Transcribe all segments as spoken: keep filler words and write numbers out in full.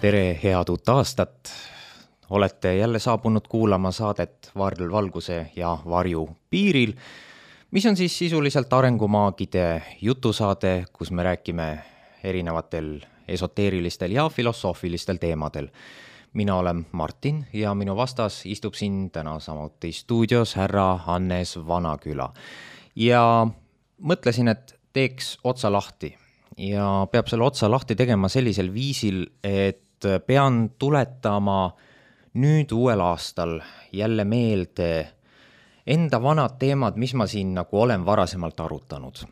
Tere, head uut aastat! Olete jälle saabunud kuulama saadet Varl Valguse ja Varju piiril, mis on siis sisuliselt arengumaagide jutusaade, kus me räägime erinevatel esoteerilistel ja filosoofilistel teemadel. Mina olen Martin ja minu vastas istub siin täna samuti stuudios härra Hannes Vanaküla. Ja mõtlesin, et teeks otsa lahti ja peab selle otsa lahti tegema sellisel viisil, et pean tuletama nüüd uuel aastal jälle meelde enda vanad teemad, mis ma siin nagu olen varasemalt arutanud.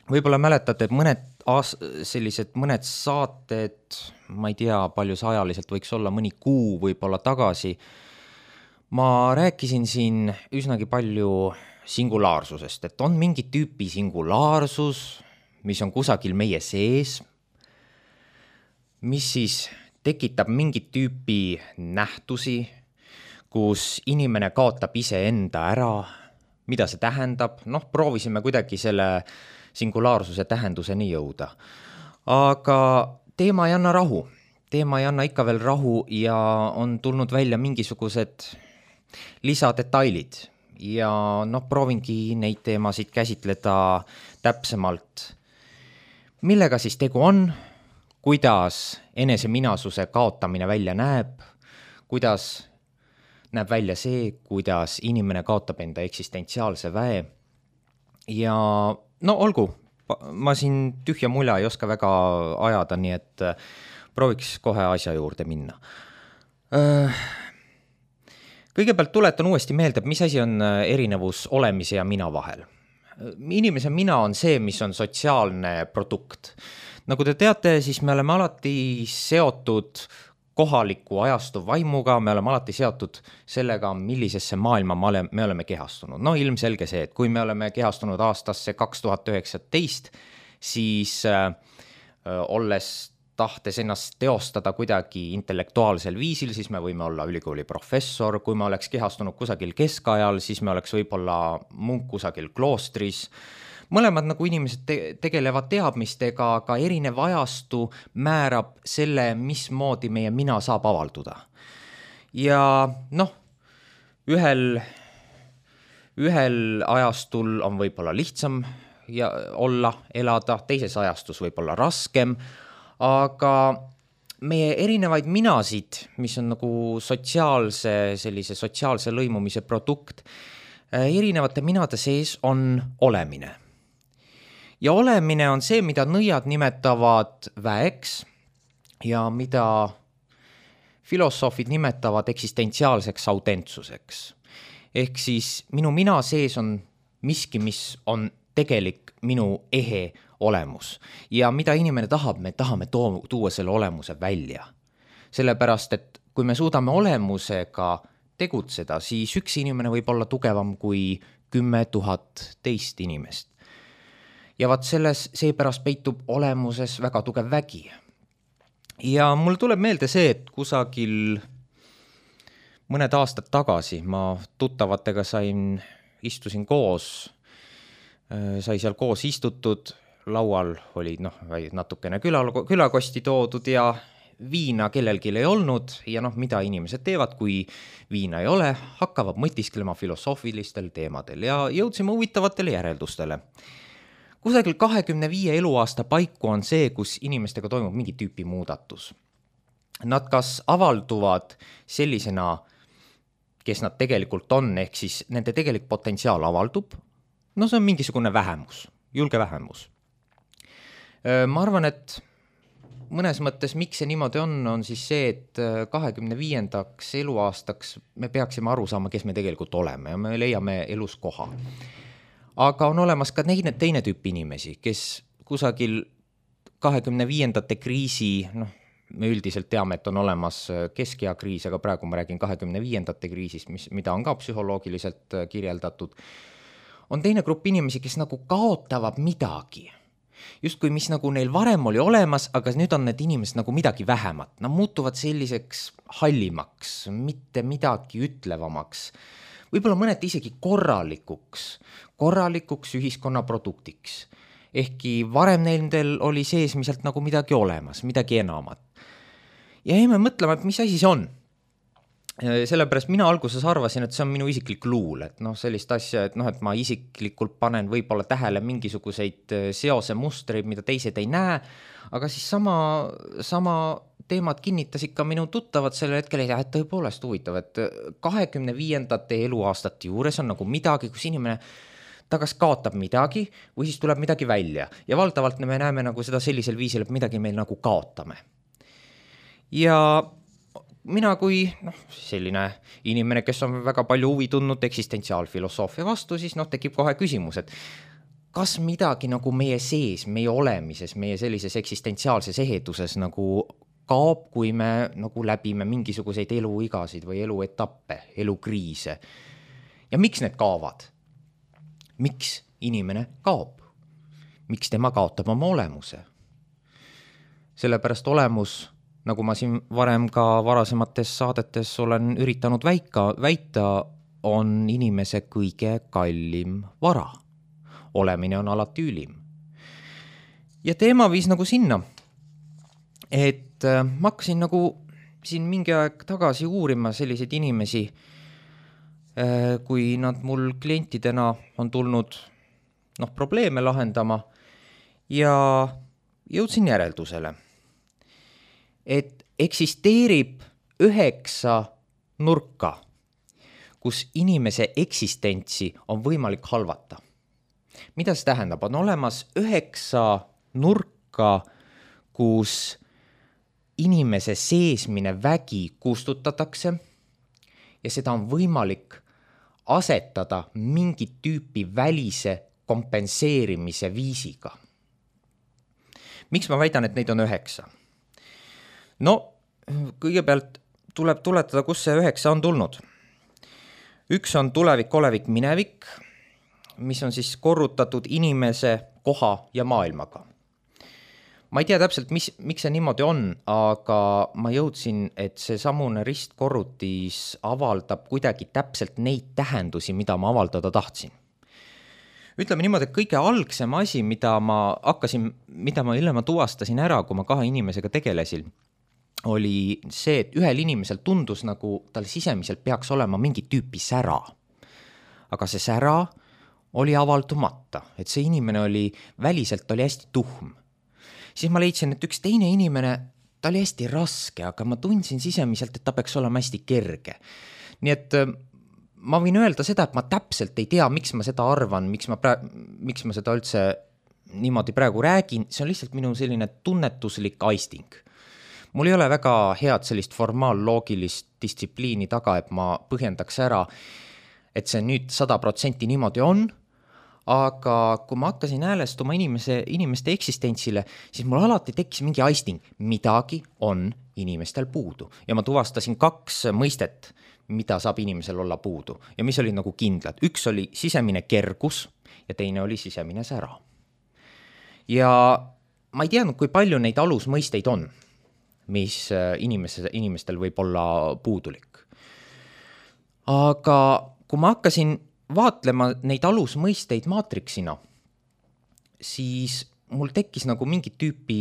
Võib-olla mäletate, et mõned, aas, sellised, mõned saated, ma ei tea, palju see ajaliselt võiks olla, mõni kuu võib-olla tagasi, ma rääkisin siin üsnagi palju singulaarsusest, et on mingi tüüpi singulaarsus, mis on kusagil meie sees, mis siis tekitab mingit tüüpi nähtusi, kus inimene kaotab iseenda ära, mida see tähendab. Noh, proovisime kuidagi selle singulaarsuse tähenduseni jõuda. Aga teema ei anna rahu. Teema ei anna ikka veel rahu ja on tulnud välja mingisugused lisadetailid. Ja noh, proovingi neid teemasid käsitleda täpsemalt. Millega siis tegu on? Kuidas enese minasuse kaotamine välja näeb, kuidas näeb välja see, kuidas inimene kaotab enda eksistentsiaalse väe. Ja no olgu, ma siin tühja mulja ei oska väga ajada, nii et prooviks kohe asja juurde minna. Kõigepealt tuletan uuesti meelde, mis asi on erinevus olemise ja mina vahel. Inimese mina on see, mis on sotsiaalne produkt. Nagu te teate, siis me oleme alati seotud kohaliku ajastu vaimuga, me oleme alati seotud sellega, millisesse maailma me oleme kehastunud. No ilmselge see, et kui me oleme kehastunud aastasse kaks tuhat üheksateist, siis äh, olles tahtes ennast teostada kuidagi intellektuaalsel viisil, siis me võime olla ülikooli professor, kui me oleks kehastunud kusagil keskajal, siis me oleks võib-olla munk kusagil kloostris. Mõlemad nagu inimesed te- tegelevad teadmistega, aga erinev ajastu määrab selle, mismoodi meie mina saab avalduda. Ja noh, ühel, ühel ajastul on võib-olla lihtsam ja olla, elada, teises ajastus võib-olla raskem, aga meie erinevaid minasid, mis on nagu sotsiaalse, sellise sotsiaalse lõimumise produkt, erinevate minade sees on olemine. Ja olemine on see, mida nõiad nimetavad väeks ja mida filosoofid nimetavad eksistentsiaalseks autentsuseks. Ehk siis minu mina sees on miski, mis on tegelik minu ehe olemus. Ja mida inimene tahab, me tahame tuua selle olemuse välja. Sellepärast, et kui me suudame olemusega tegutseda, siis üks inimene võib olla tugevam kui kümme tuhat teist inimest. Ja vaat selles seepärast peitub olemuses väga tugev vägi. Ja mul tuleb meelde see, et kusagil mõned aastad tagasi ma tuttavatega sain, istusin koos, sai seal koos istutud, laual oli noh, natukene küla, külakosti toodud ja viina kellelgi ei olnud ja noh, mida inimesed teevad, kui viina ei ole, hakkavad mõtisklema filosoofilistel teemadel ja jõudsime huvitavatele järeldustele. Kusagil kahekümne viie eluaasta paiku on see, kus inimestega toimub mingi tüüpi muudatus. Nad kas avalduvad sellisena, kes nad tegelikult on, ehk siis nende tegelik potentsiaal avaldub. No see on mingisugune vähemus, julge vähemus. Ma arvan, et mõnes mõttes, miks see niimoodi on, on siis see, et kahekümne viiendaks eluaastaks me peaksime aru saama, kes me tegelikult oleme ja me leiame elus koha. Aga on olemas ka teine, teine tüüp inimesi, kes kusagil kahekümne viiendate kriisi, noh, me üldiselt teame, et on olemas keskea kriis, aga praegu ma räägin kahekümne viiendate kriisist, mis, mida on ka psühholoogiliselt kirjeldatud, on teine grupp inimesi, kes nagu kaotavad midagi. Justkui mis nagu neil varem oli olemas, aga nüüd on need inimesed nagu midagi vähemat. Nad muutuvad selliseks hallimaks, mitte midagi ütlevamaks. Võib-olla mõneti isegi korralikuks, korralikuks ühiskonna produktiks. Ehkki varem neil oli sees miselt nagu midagi olemas, midagi enamat. ja jäime mõtlema, et mis asi see on. Sellepärast mina alguses arvasin, et see on minu isiklik luul, et noh, sellist asja, et noh, et ma isiklikult panen võib-olla tähele mingisuguseid seose mustreid, mida teised ei näe, aga siis sama, sama teemad kinnitas ikka minu tuttavad sellel hetkel, et tõepoolest huvitav, et kahekümne viiendate eluaastate juures on nagu midagi, kus inimene ta kas kaotab midagi või siis tuleb midagi välja ja valdavalt me näeme nagu seda sellisel viisil, et midagi meil nagu kaotame. Ja mina kui noh, selline inimene, kes on väga palju huvi tundnud eksistentsiaalfilosoofia vastu, siis noh, tekib kohe küsimus, et kas midagi nagu meie sees, meie olemises, meie sellises eksistentsiaalses eheduses nagu kaob, kui me nagu läbime mingisuguseid eluigasid või eluetappe, elukriise. Ja miks need kaovad? Miks inimene kaob? Miks tema kaotab oma olemuse? Sellepärast olemus, nagu ma siin varem ka varasemates saadetes olen üritanud väika, väita, on inimese kõige kallim vara. Olemine on alati ülim. Ja teema viis nagu sinna, et ma hakkasin nagu siin mingi aeg tagasi uurima selliseid inimesi, kui nad mul klientidena on tulnud noh, probleeme lahendama ja jõudsin järeldusele, et eksisteerib üheksa nurka, kus inimese eksistentsi on võimalik halvata. Mida see tähendab? On olemas üheksa nurka, kus inimese seesmine vägi kustutatakse ja seda on võimalik asetada mingit tüüpi välise kompenseerimise viisiga. Miks ma väidan, et neid on üheksa? No, kõigepealt tuleb tuletada, kus see üheksa on tulnud. Üks on tulevik, olevik, minevik, mis on siis korrutatud inimese, koha ja maailmaga. Ma ei tea täpselt, mis, miks see niimoodi on, aga ma jõudsin, et see samune ristkorrutis avaldab kuidagi täpselt neid tähendusi, mida ma avaldada tahtsin. Ütleme niimoodi, et kõige algsem asi, mida ma hakkasin, mida ma hiljem tuvastasin ära, kui ma kahe inimesega tegelesin, oli see, et ühel inimesel tundus nagu tal sisemiselt peaks olema mingi tüüpi sära. Aga see sära oli avaldumata, et see inimene oli, väliselt oli hästi tuhm. Siis ma leidsin, et üks teine inimene, ta oli hästi raske, aga ma tundsin sisemiselt, et ta peaks olema hästi kerge. Nii et ma võin öelda seda, et ma täpselt ei tea, miks ma seda arvan, miks ma, pra- miks ma seda üldse niimoodi praegu räägin, see on lihtsalt minu selline tunnetuslik aisting. Mul ei ole väga head sellist formaalloogilist distsipliini taga, et ma põhjendaks ära, et see nüüd sada protsenti niimoodi on, aga kui ma hakkasin häälestuma inimese, inimeste eksistentsile, siis mul alati tekkis mingi aisting, midagi on inimestel puudu. Ja ma tuvastasin kaks mõistet, mida saab inimesel olla puudu ja mis oli nagu kindlad. Üks oli sisemine kergus ja teine oli sisemine sära. Ja ma ei teadnud, kui palju neid alusmõisteid on, mis inimese, inimestel võib olla puudulik. Aga kui ma hakkasin vaatlema neid alusmõisteid maatriksina, siis mul tekkis nagu mingi tüüpi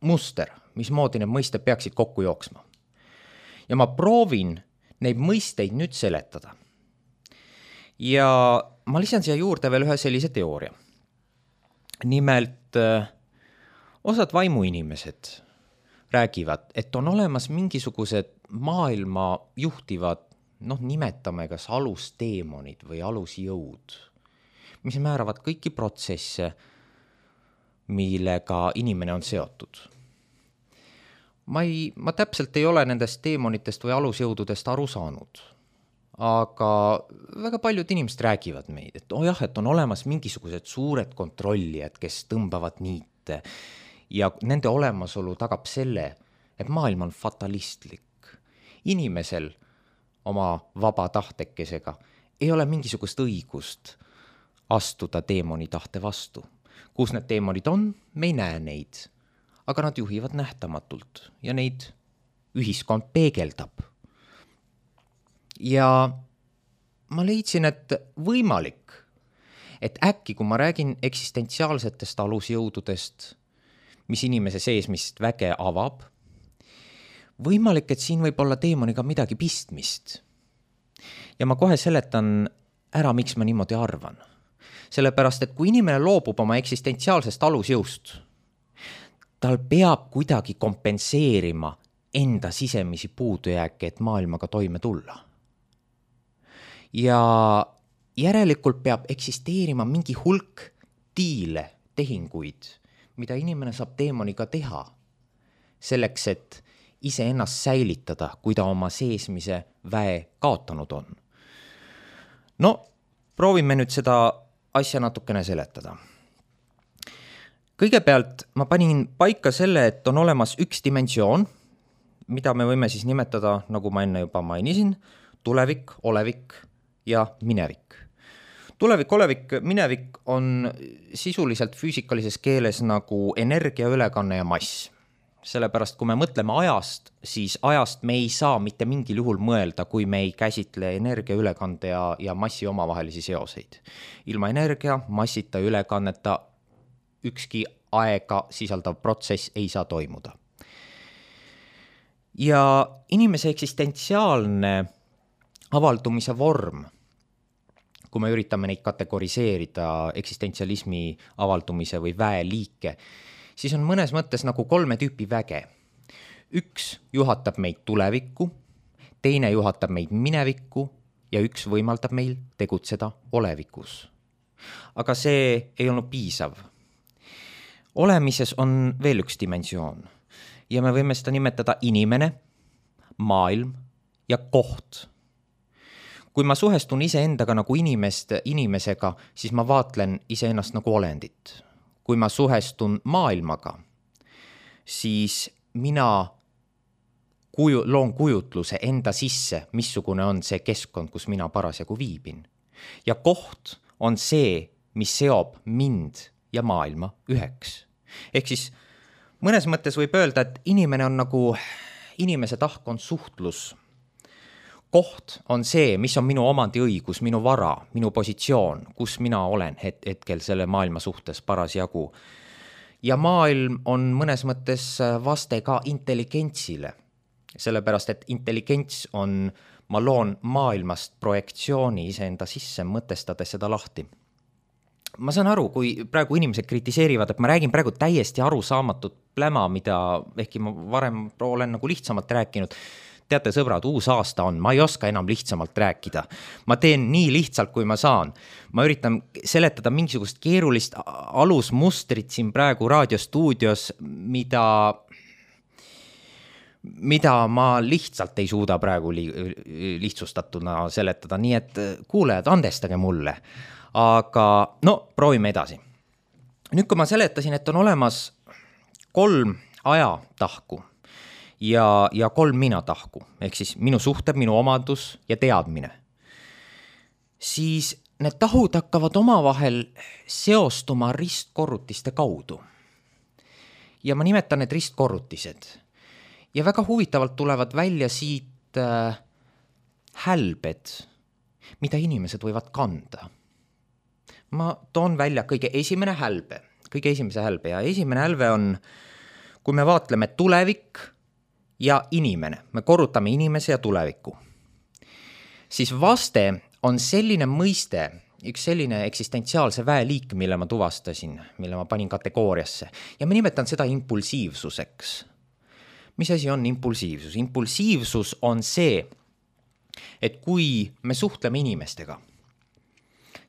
muster, mismoodi need mõisted peaksid kokku jooksma. Ja ma proovin neid mõisteid nüüd seletada. Ja ma lisan siia juurde veel ühe sellise teooria. Nimelt, osad vaimuinimesed räägivad, et on olemas mingisugused maailma juhtivad, noh, nimetame kas alusteemonid või alusjõud, mis määravad kõiki protsesse, millega inimene on seotud. Ma, ei, ma täpselt ei ole nendest teemonitest või alusjõududest aru saanud, aga väga paljud inimesed räägivad meid, et oh jah, et on olemas mingisugused suured kontrollijad, kes tõmbavad niite ja nende olemasolu tagab selle, et maailm on fatalistlik. Inimesel oma vaba tahtekesega ei ole mingisugust õigust astuda teemoni tahte vastu. Kus need teemonid on, me ei näe neid, aga nad juhivad nähtamatult ja neid ühiskond peegeldab. Ja ma leidsin, et võimalik, et äkki kui ma räägin eksistentsiaalsetest alusjõududest, mis inimese seesmist väge avab, võimalik, et siin võib olla teemoniga midagi pistmist. Ja ma kohe seletan ära, miks ma niimoodi arvan. Sellepärast, et kui inimene loobub oma eksistentsiaalsest alusjõust, tal peab kuidagi kompenseerima enda sisemisi puudujääke, et maailmaga toime tulla. Ja järelikult peab eksisteerima mingi hulk diile, tehinguid, mida inimene saab teemoniga teha, selleks, et ise ennast säilitada, kui ta oma seesmise väe kaotanud on. No, proovime nüüd seda asja natukene seletada. Kõigepealt ma panin paika selle, et on olemas üks dimensioon, mida me võime siis nimetada, nagu ma enne juba mainisin, tulevik, olevik ja minevik. Tulevik, olevik, minevik on sisuliselt füüsikalises keeles nagu energia, ülekanne ja mass. Sellepärast, kui me mõtleme ajast, siis ajast me ei saa mitte mingil juhul mõelda, kui me ei käsitle energia, ülekande ja, ja massi omavahelisi seoseid. Ilma energia, massita, ülekanneta ükski aega sisaldav protsess ei saa toimuda. Ja inimese eksistentsiaalne avaldumise vorm, kui me üritame neid kategoriseerida eksistentsialismi avaldumise või väeliike, siis on mõnes mõttes nagu kolme tüüpi väge. Üks juhatab meid tulevikku, teine juhatab meid minevikku ja üks võimaldab meil tegutseda olevikus. Aga see ei olnud piisav. Olemises on veel üks dimensioon ja me võime seda nimetada inimene, maailm ja koht. Kui ma suhestun iseendaga nagu inimest inimesega, siis ma vaatlen iseennast nagu olendit. Kui ma suhestun maailmaga, siis mina kuju, loon kujutluse enda sisse, missugune on see keskkond, kus mina parasjagu viibin. Ja koht on see, mis seob mind ja maailma üheks. Ehk siis mõnes mõttes võib öelda, et inimene on nagu, inimese tahk on suhtlus. Koht on see, mis on minu omandiõigus, minu vara, minu positsioon, kus mina olen het- hetkel selle maailma suhtes parasjagu. Ja maailm on mõnes mõttes vaste ka intelligentsile, sellepärast et intelligents on, ma loon maailmast projektsiooni iseenda sisse, mõtestades seda lahti. Ma saan aru, kui praegu inimesed kritiseerivad, et ma räägin praegu täiesti arusaamatut pläma, mida ehkki ma varem olen nagu lihtsamalt rääkinud. Teate, sõbrad, uus aasta on, ma ei oska enam lihtsamalt rääkida. Ma teen nii lihtsalt, kui ma saan. Ma üritan seletada mingisugust keerulist alusmustrit siin praegu raadiostuudios, mida, mida ma lihtsalt ei suuda praegu li, lihtsustatuna seletada. Nii et kuulejad, andestage mulle. Aga no, proovime edasi. Nüüd, kui ma seletasin, et on olemas kolm ajatahku, ja, ja kolm minatahku, ehk siis minu suhted, minu omadus ja teadmine, siis need tahud hakkavad omavahel seostuma ristkorrutiste kaudu. Ja ma nimetan need ristkorrutised. Ja väga huvitavalt tulevad välja siit äh, hälbed, mida inimesed võivad kanda. Ma toon välja kõige esimene hälbe, kõige esimese hälbe ja esimene hälbe on, kui me vaatleme tulevik ja inimene, me korrutame inimese ja tuleviku, siis vaste on selline mõiste, üks selline eksistentsiaalse väeliik, mille ma tuvastasin, mille ma panin kategooriasse ja ma nimetan seda impulsiivsuseks. Mis asi on impulsiivsus? Impulsiivsus on see, et kui me suhtleme inimestega,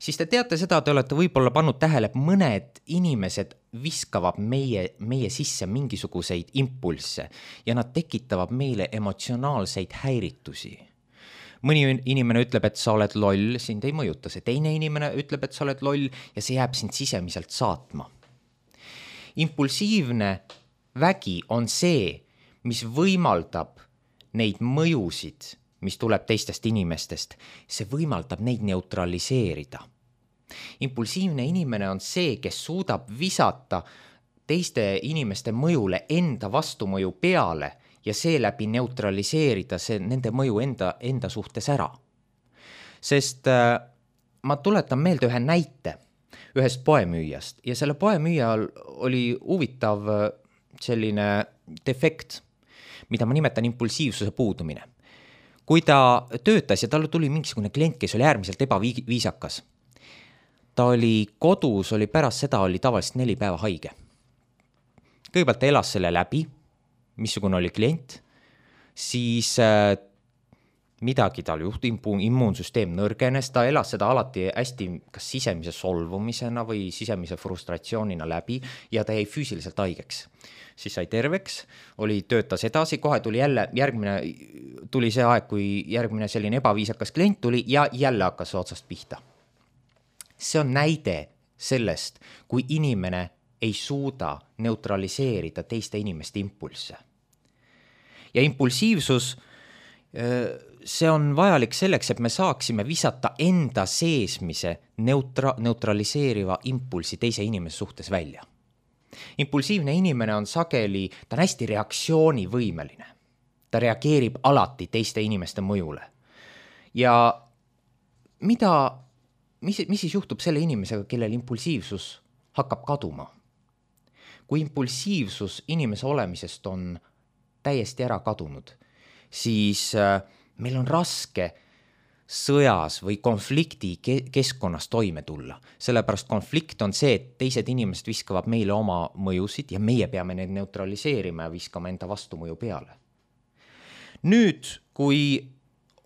siis te teate seda, te olete võib-olla pannud tähele, et mõned inimesed viskavad meie, meie sisse mingisuguseid impulsse ja nad tekitavad meile emotsionaalseid häiritusi. Mõni inimene ütleb, et sa oled loll, sind ei mõjuta see. Teine inimene ütleb, et sa oled loll ja see jääb sind sisemiselt saatma. Impulsiivne vägi on see, mis võimaldab neid mõjusid, mis tuleb teistest inimestest, see võimaldab neid neutraliseerida. Impulsiivne inimene on see, kes suudab visata teiste inimeste mõjule enda vastumõju peale ja seeläbi neutraliseerida see, nende mõju enda, enda suhtes ära. Sest äh, ma tuletan meelde ühe näite ühest poemüüjast ja selle poemüüjal oli huvitav selline defekt. mida ma nimetan impulsiivsuse puudumine. Kui ta töötas ja talle tuli mingisugune klient, kes oli äärmiselt ebaviisakas, ta oli kodus, oli pärast seda, oli tavaliselt neli päeva haige. Kõigepealt ta elas selle läbi, missugune oli klient, siis äh, midagi tal juhti, immuunsüsteem nõrgenes, ta elas seda alati hästi kas sisemise solvumisena või sisemise frustratsioonina läbi ja ta jäi füüsiliselt haigeks. Siis sai terveks, oli, töötas edasi, kohe tuli jälle, järgmine, tuli see aeg, kui järgmine selline ebaviisakas klient tuli ja jälle hakkas otsast pihta. See on näide sellest, kui inimene ei suuda neutraliseerida teiste inimeste impulsse. Ja impulsiivsus, see on vajalik selleks, et me saaksime visata enda seesmise neutra, neutraliseeriva impulsi teise inimese suhtes välja. Impulsiivne inimene on sageli, ta on hästi reaktsioonivõimeline. Ta reageerib alati teiste inimeste mõjule. Ja mida, mis, mis siis juhtub selle inimesega, kellel impulsiivsus hakkab kaduma? Kui impulsiivsus inimese olemisest on täiesti ära kadunud, siis meil on raske sõjas või konflikti keskkonnas toime tulla. Sellepärast konflikt on see, et teised inimesed viskavad meile oma mõjusid ja meie peame need neutraliseerima ja viskama enda vastumõju peale. Nüüd, kui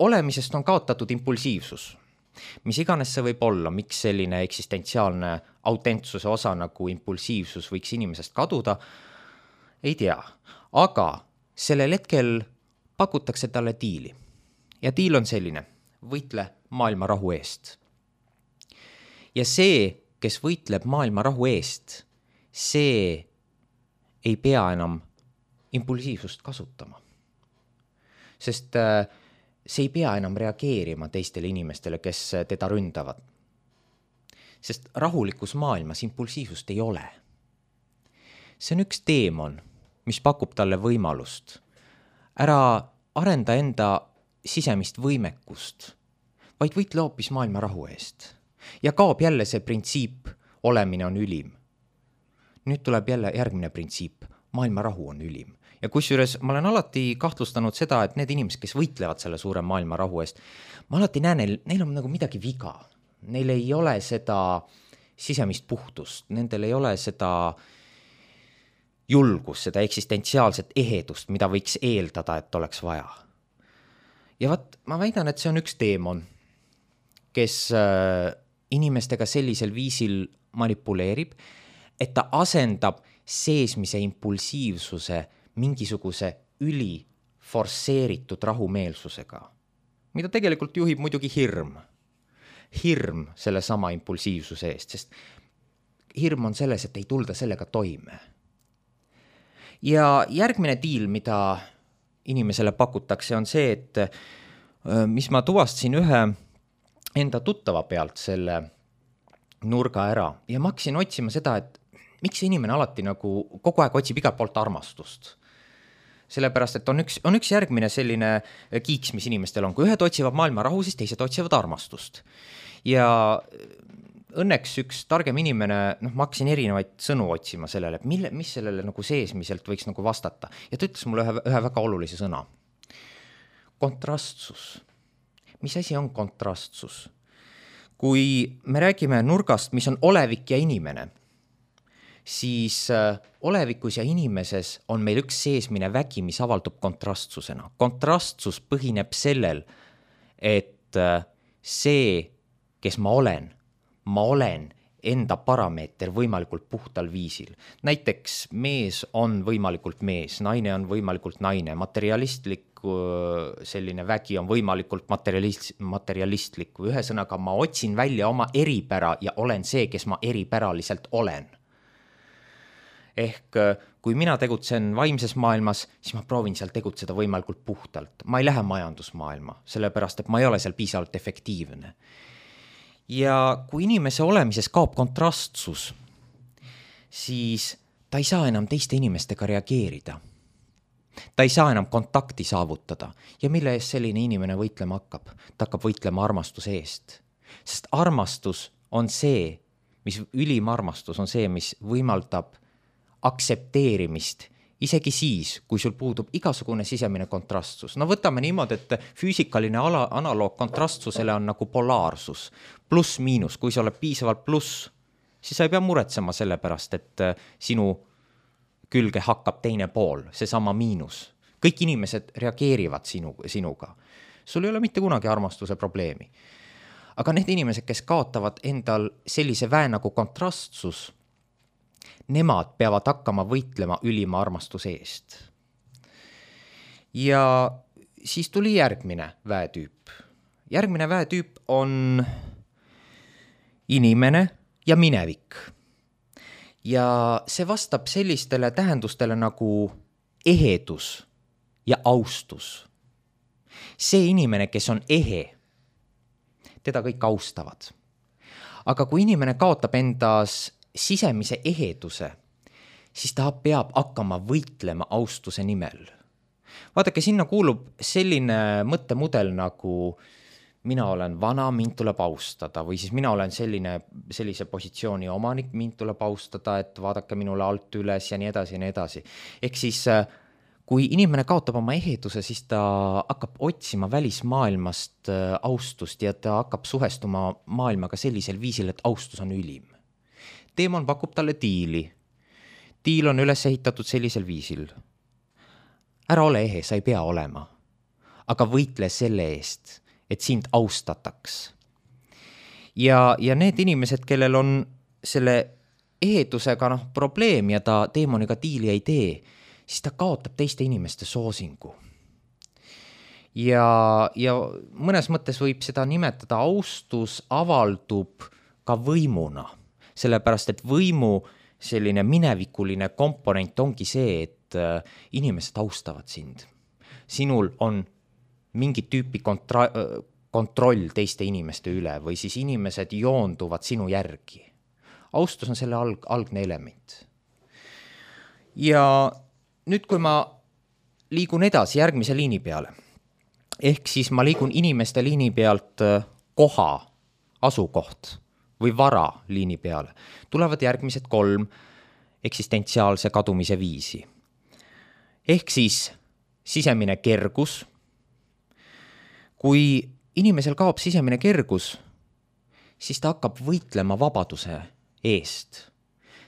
olemisest on kaotatud impulsiivsus, mis iganes see võib olla, miks selline eksistentsiaalne autentsuse osa nagu impulsiivsus võiks inimesest kaduda, ei tea. Aga sellel hetkel pakutakse talle diili. Ja diil on selline, võitle maailma rahu eest. Ja see, kes võitleb maailma rahu eest, see ei pea enam impulsiivsust kasutama. Sest see ei pea enam reageerima teistele inimestele, kes teda ründavad. Sest rahulikus maailmas impulsiivsust ei ole. See on üks teemon, mis pakub talle võimalust. Ära arenda enda sisemist võimekust, vaid võitle hoopis maailma rahu eest. Ja kaob jälle see printsiip, olemine on ülim. Nüüd tuleb jälle järgmine printsiip, maailma rahu on ülim. Ja kusjuures ma olen alati kahtlustanud seda, et need inimesed, kes võitlevad selle suure maailma rahu eest, ma alati näen, neil, neil on nagu midagi viga. Neil ei ole seda sisemist puhtust, nendel ei ole seda julgust, seda eksistentsiaalset ehedust, mida võiks eeldada, et oleks vaja. Ja vaat, ma väidan, et see on üks teemon, kes inimestega sellisel viisil manipuleerib, et ta asendab seesmise impulsiivsuse mingisuguse üli forsseeritud rahumeelsusega, mida tegelikult juhib muidugi hirm. Hirm selle sama impulsiivsuse eest, sest hirm on selles, et ei tulda sellega toime. Ja järgmine diil, mida inimesele pakutakse, on see, et mis ma tuvastasin ühe enda tuttava pealt selle nurga ära ja ma hakkasin otsima seda, et miks see inimene alati nagu kogu aeg otsib igalt poolt armastust. Sellepärast, et on üks, on üks järgmine selline kiiks, mis inimestel on. Kui ühed otsivad maailma rahu, siis teised otsivad armastust. Ja õnneks üks targem inimene, noh, ma hakkasin erinevaid sõnu otsima sellele, et mille, mis sellele nagu seesmiselt võiks nagu vastata. Ja ta ütles mulle ühe, ühe väga olulise sõna. Kontrastsus. Mis asi on kontrastsus? Kui me räägime nurgast, mis on olevik ja inimene, siis olevikus ja inimeses on meil üks seesmine vägi, mis avaldub kontrastsusena. Kontrastsus põhineb sellel, et see, kes ma olen, ma olen enda parameeter võimalikult puhtal viisil. Näiteks mees on võimalikult mees, naine on võimalikult naine, materialistlik selline vägi on võimalikult materialist, materialistlik. Ühesõnaga, ma otsin välja oma eripära ja olen see, kes ma eripäraliselt olen. Ehk kui mina tegutsen vaimses maailmas, siis ma proovin seal tegutseda võimalikult puhtalt. Ma ei lähe majandusmaailma, sellepärast, et ma ei ole seal piisavalt efektiivne. Ja kui inimese olemises kaob kontrastsus, siis ta ei saa enam teiste inimestega reageerida. Ta ei saa enam kontakti saavutada. Ja mille eest selline inimene võitlema hakkab? Ta hakkab võitlema armastuse eest. Sest armastus on see, mis ülim armastus on see, mis võimaldab aksepteerimist isegi siis, kui sul puudub igasugune sisemine kontrastsus. No võtame niimoodi, et füüsikaline ala, analoog kontrastsusele on nagu polaarsus, pluss miinus. Kui sa oled piisavalt pluss, siis sa ei pea muretsema selle pärast, et sinu külge hakkab teine pool, see sama miinus. Kõik inimesed reageerivad sinu, sinuga. Sul ei ole mitte kunagi armastuse probleemi. Aga need inimesed, kes kaotavad endal sellise väe nagu kontrastsus, nemad peavad hakkama võitlema ülima armastuse eest. Ja siis tuli järgmine väetüüp. Järgmine väetüüp on inimene ja minevik. Ja see vastab sellistele tähendustele nagu ehedus ja austus. See inimene, kes on ehe, teda kõik austavad. Aga kui inimene kaotab endas sisemise eheduse, siis ta peab hakkama võitlema austuse nimel. Vaadake, sinna kuulub selline mõttemudel nagu mina olen vana, mind tuleb austada, või siis mina olen selline, sellise positsiooni omanik, mind tuleb austada, et vaadake minule alt üles ja nii edasi ja nii edasi. Ehk siis kui inimene kaotab oma eheduse, siis ta hakkab otsima välismaailmast austust ja ta hakkab suhestuma maailmaga sellisel viisil, et austus on ülim. Teemon pakub talle diili. Diil on üles ehitatud sellisel viisil. Ära ole ehe, sa ei pea olema. Aga võitle selle eest, et sind austataks. Ja, ja need inimesed, kellel on selle ehedusega noh, probleem ja ta teemoniga diili ei tee, siis ta kaotab teiste inimeste soosingu. Ja, ja mõnes mõttes võib seda nimetada austus avaldub ka võimuna. Sellepärast, et võimu selline minevikuline komponent ongi see, et inimesed austavad sind. Sinul on mingi tüüpi kontra- kontroll teiste inimeste üle või siis inimesed joonduvad sinu järgi. Austus on selle alg- algne element. Ja nüüd, kui ma liigun edasi järgmise liini peale, ehk siis ma liigun inimeste liini pealt koha, asukoht või vara liini peale, tulevad järgmised kolm eksistentsiaalse kadumise viisi. Ehk siis sisemine kergus. Kui inimesel kaob sisemine kergus, siis ta hakkab võitlema vabaduse eest.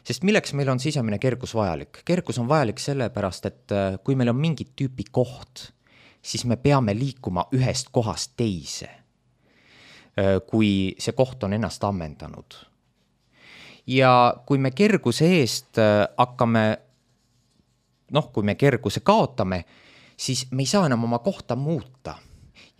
Sest milleks meil on sisemine kergus vajalik? Kergus on vajalik sellepärast, et kui meil on mingit tüüpi koht, siis me peame liikuma ühest kohast teise, kui see koht on ennast ammendanud. Ja kui me kerguse eest hakkame, noh, kui me kerguse kaotame, siis me ei saa enam oma kohta muuta.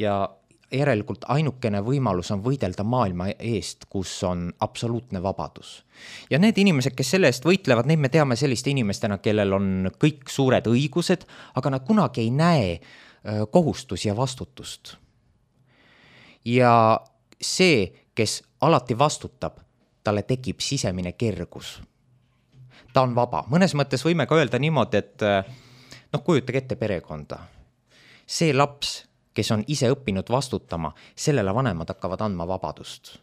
Ja järelikult ainukene võimalus on võidelda maailma eest, kus on absoluutne vabadus. Ja need inimesed, kes selle eest võitlevad, neid me teame selliste inimestena, kellel on kõik suured õigused, aga nad kunagi ei näe kohustusi ja vastutust. Ja see, kes alati vastutab, talle tekib sisemine kergus. Ta on vaba. Mõnes mõttes võime ka öelda niimoodi, et noh, kujutage ette perekonda. See laps, kes on ise õppinud vastutama, sellele vanemad hakkavad andma vabadust.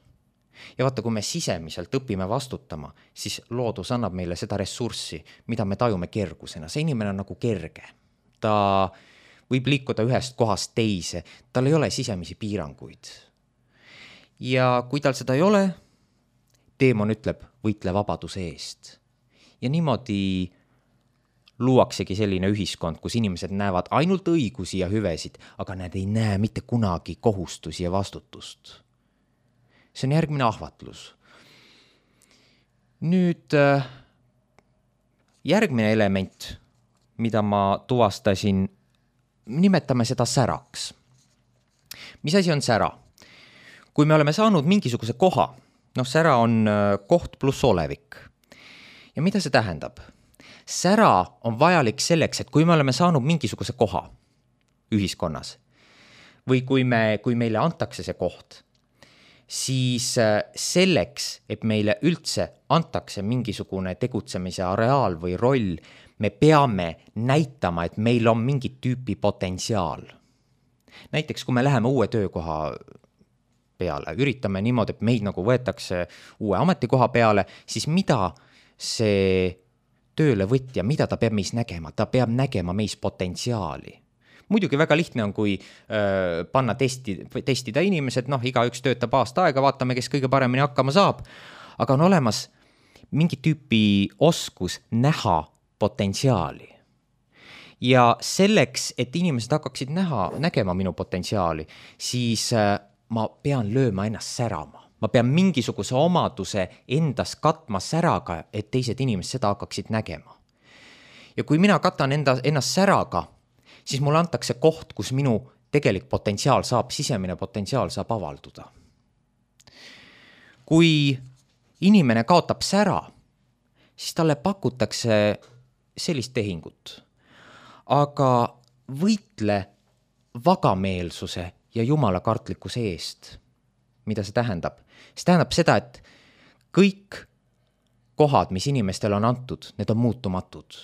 Ja vaata, kui me sisemiselt õpime vastutama, siis loodus annab meile seda ressurssi, mida me tajume kergusena. See inimene on nagu kerge. Ta võib liikuda ühest kohast teise, tal ei ole sisemisi piiranguid. Ja kui tal seda ei ole, teemon ütleb, võitle vabaduse eest. Ja niimoodi luuaksegi selline ühiskond, kus inimesed näevad ainult õigusi ja hüvesid, aga nad ei näe mitte kunagi kohustusi ja vastutust. See on järgmine ahvatlus. Nüüd järgmine element, mida ma tuvastasin, nimetame seda säraks. Mis asi on sära? Kui me oleme saanud mingisuguse koha, noh, sära on koht pluss olevik. Ja mida see tähendab? Sära on vajalik selleks, et kui me oleme saanud mingisuguse koha ühiskonnas või kui, me, kui meile antakse see koht, siis selleks, et meile üldse antakse mingisugune tegutsemise areaal või roll, me peame näitama, et meil on mingit tüüpi potentsiaal. Näiteks, kui me läheme uue töökoha peale, üritame niimoodi, et meid nagu võetakse uue ametikoha peale, siis mida see töölevõtja, mida ta peab meis nägema? Ta peab nägema meis potentsiaali. Muidugi väga lihtne on, kui äh, panna testi, testida inimesed, noh, igaüks töötab aasta aega, vaatame, kes kõige paremini hakkama saab, aga on olemas mingi tüüpi oskus näha potentsiaali. Ja selleks, et inimesed hakkaksid näha, nägema minu potentsiaali, siis äh, ma pean lööma ennast särama. Ma pean mingisuguse omaduse endas katma säraga, et teised inimesed seda hakkaksid nägema. Ja kui mina katan enda, ennast säraga, siis mulle antakse koht, kus minu tegelik potentsiaal saab, sisemine potentsiaal saab avalduda. Kui inimene kaotab sära, siis talle pakutakse sellist tehingut. Aga võitle vagameelsuse ja jumalakartlikkuse eest. Mida see tähendab? See tähendab seda, et kõik kohad, mis inimestel on antud, need on muutumatud.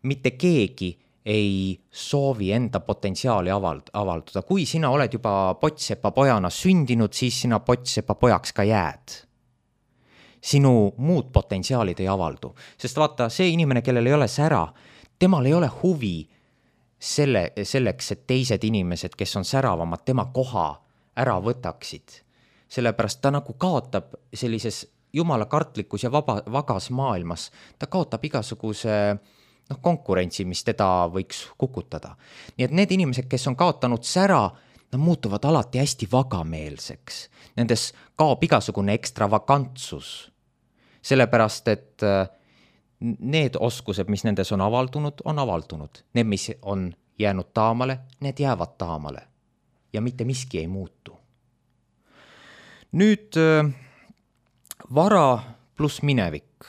Mitte keegi ei soovi enda potentsiaali avald- avalduda. Kui sina oled juba potsepa pojana sündinud, siis sina potsepa pojaks ka jääd. Sinu muud potentsiaalid ei avaldu. Sest vaata, see inimene, kellel ei ole sära, temal ei ole huvi selle, selleks, et teised inimesed, kes on säravamad, tema koha ära võtaksid. Sellepärast ta nagu kaotab sellises jumalakartlikus ja vaba, vagas maailmas, ta kaotab igasuguse noh, konkurentsi, mis teda võiks kukutada. Nii et need inimesed, kes on kaotanud sära, nad muutuvad alati hästi vagameelseks. Nendes kaob igasugune ekstravagantsus. Sellepärast, et need oskused, mis nendes on avaldunud, on avaldunud. Need, mis on jäänud taamale, need jäävad taamale. Ja mitte miski ei muutu. Nüüd vara pluss minevik.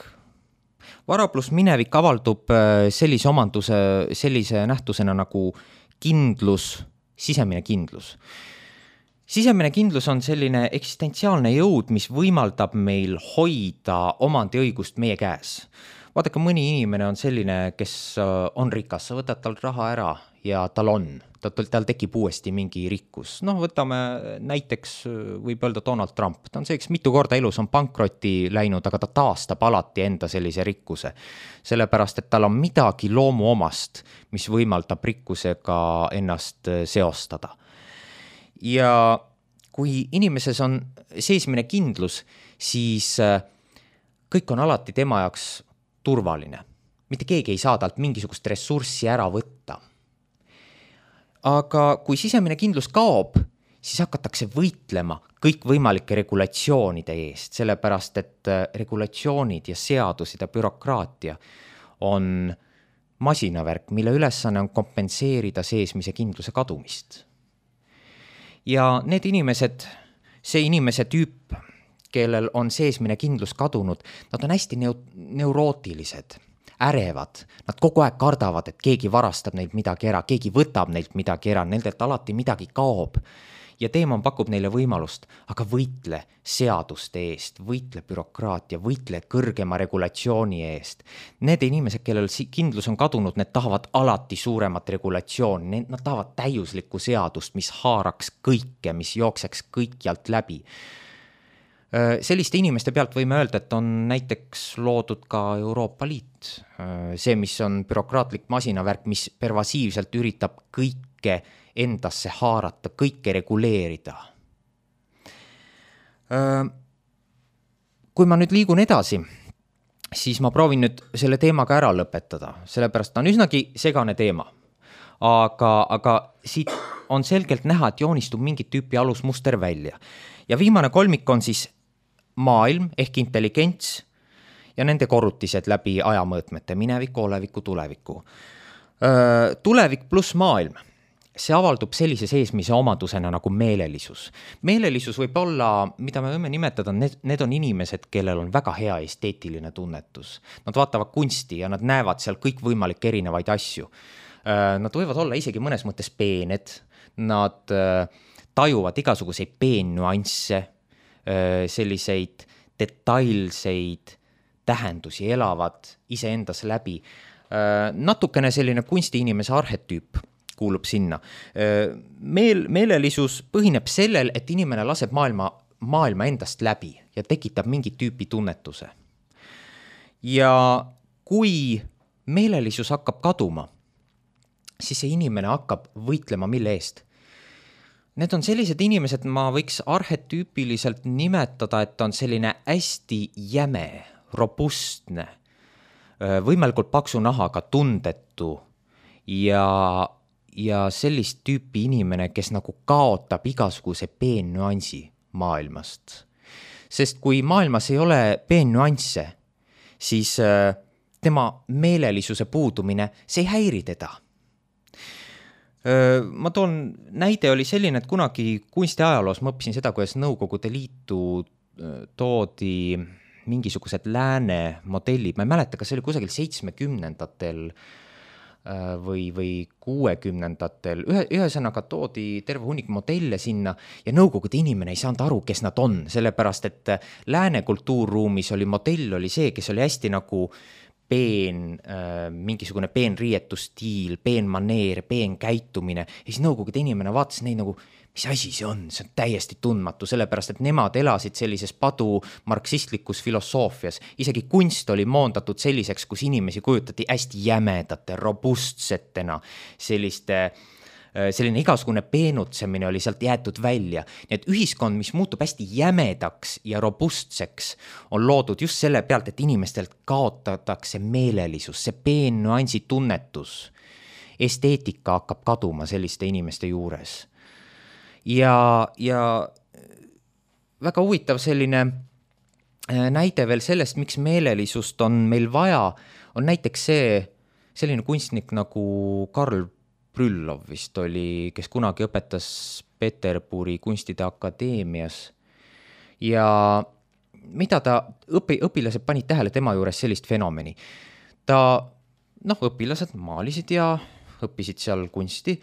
Vara pluss minevik avaldub sellise omanduse, sellise nähtusena nagu kindlus, sisemine kindlus. Sisemine kindlus on selline eksistentsiaalne jõud, mis võimaldab meil hoida omandiõigust meie käes. Vaadake, mõni inimene on selline, kes on rikas, sa võtad tal raha ära ja tal on, tal tekib uuesti mingi rikkus. Noh, võtame näiteks, võib öelda Donald Trump, ta on see, kes mitu korda elus on pankrotti läinud, aga ta taastab alati enda sellise rikkuse. Sellepärast, et tal on midagi loomuomast, mis võimaldab rikkusega ennast seostada. Ja kui inimeses on seesmine kindlus, siis kõik on alati tema jaoks turvaline. Mitte keegi ei saa talt mingisugust ressurssi ära võtta. Aga kui sisemine kindlus kaob, siis hakatakse võitlema kõik võimalike regulatsioonide eest, sellepärast et regulatsioonid ja seadused ja bürokraatia on masinavärk, mille ülesanne on kompenseerida seesmise kindluse kadumist. Ja need inimesed, see inimese tüüp, kellel on seesmine kindlus kadunud, nad on hästi neu- neurootilised, ärevad. Nad kogu aeg kardavad, et keegi varastab neilt midagi ära, keegi võtab neilt midagi ära, nendelt alati midagi kaob. Ja teema pakub neile võimalust, aga võitle seaduste eest, võitle bürokraatia, võitle kõrgema regulatsiooni eest. Need inimesed, kellel kindlus on kadunud, need tahavad alati suuremat regulatsiooni, nad tahavad täiuslikku seadust, mis haaraks kõike, mis jookseks kõikjalt läbi. Selliste inimeste pealt võime öelda, et on näiteks loodud ka Euroopa Liit. See, mis on bürokraatlik masinavärk, mis pervasiivselt üritab kõike endasse haarata, kõike reguleerida. Kui ma nüüd liigun edasi, siis ma proovin nüüd selle teemaga ära lõpetada, sellepärast on üsnagi segane teema. Aga, aga siit on selgelt näha, et joonistub mingit tüüpi alusmuster välja. Ja viimane kolmik on siis maailm ehk intelligents ja nende korrutised läbi ajamõõtmete, mineviku, oleviku, tuleviku. Tulevik pluss maailm, see avaldub sellise seesmise omadusena nagu meelelisus. Meelelisus võib olla, mida me võime nimetada, need, need on inimesed, kellel on väga hea esteetiline tunnetus. Nad vaatavad kunsti ja nad näevad seal kõik võimalik erinevaid asju. Nad võivad olla isegi mõnes mõttes peened, nad tajuvad igasuguseid peennuansse, selliseid detailseid tähendusi elavad iseendas läbi. Natukene selline kunstiinimese arhetüüp kuulub sinna. Meel, meelelisus põhineb sellel, et inimene laseb maailma, maailma endast läbi ja tekitab mingit tüüpi tunnetuse. Ja kui meelelisus hakkab kaduma, siis see inimene hakkab võitlema mille eest. Need on sellised inimesed, ma võiks arhetüüpiliselt nimetada, et on selline hästi jäme, robustne, võimalikult paksu nahaga, tundetu ja, ja sellist tüüpi inimene, kes nagu kaotab igasuguse peennüansi maailmast. Sest kui maailmas ei ole peennüansse, siis tema meelelisuse puudumine, see ei häiri teda. Ma toon, näide oli selline, et kunagi kunstiajaloos ma õppisin seda, kuidas Nõukogude Liitu toodi mingisugused lääne modellid, ma ei mäleta, kas see oli kusagil seitsmekümnendatel või, või kuuekümnendatel, ühe, ühesõnaga toodi terve hunnik modelle sinna ja Nõukogude inimene ei saanud aru, kes nad on, sellepärast et lääne kultuurruumis oli modell oli see, kes oli hästi nagu peen, äh, mingisugune peen riietustiil, peen maneer, peen käitumine ja siis Nõukogude inimene vaatas neid nagu, mis asi see on, see on täiesti tundmatu, sellepärast et nemad elasid sellises padu marksistlikus filosoofias. Isegi kunst oli moondatud selliseks, kus inimesi kujutati hästi jämedate, robustsetena, selliste, selline igasugune peenutsemine oli sealt jäetud välja. Nii et ühiskond, mis muutub hästi jämedaks ja robustseks, on loodud just selle pealt, et inimestelt kaotatakse meelelisus, see peennüansi tunnetus. Esteetika hakkab kaduma selliste inimeste juures. Ja, ja väga huvitav selline näide veel sellest, miks meelelisust on meil vaja, on näiteks see, selline kunstnik nagu Karl Brüllov vist oli, kes kunagi õpetas Peterburi kunstide akadeemias ja mida ta, õpi, õpilased panid tähele tema juures sellist fenomeni. Ta, noh, õpilased maalisid ja õppisid seal kunsti.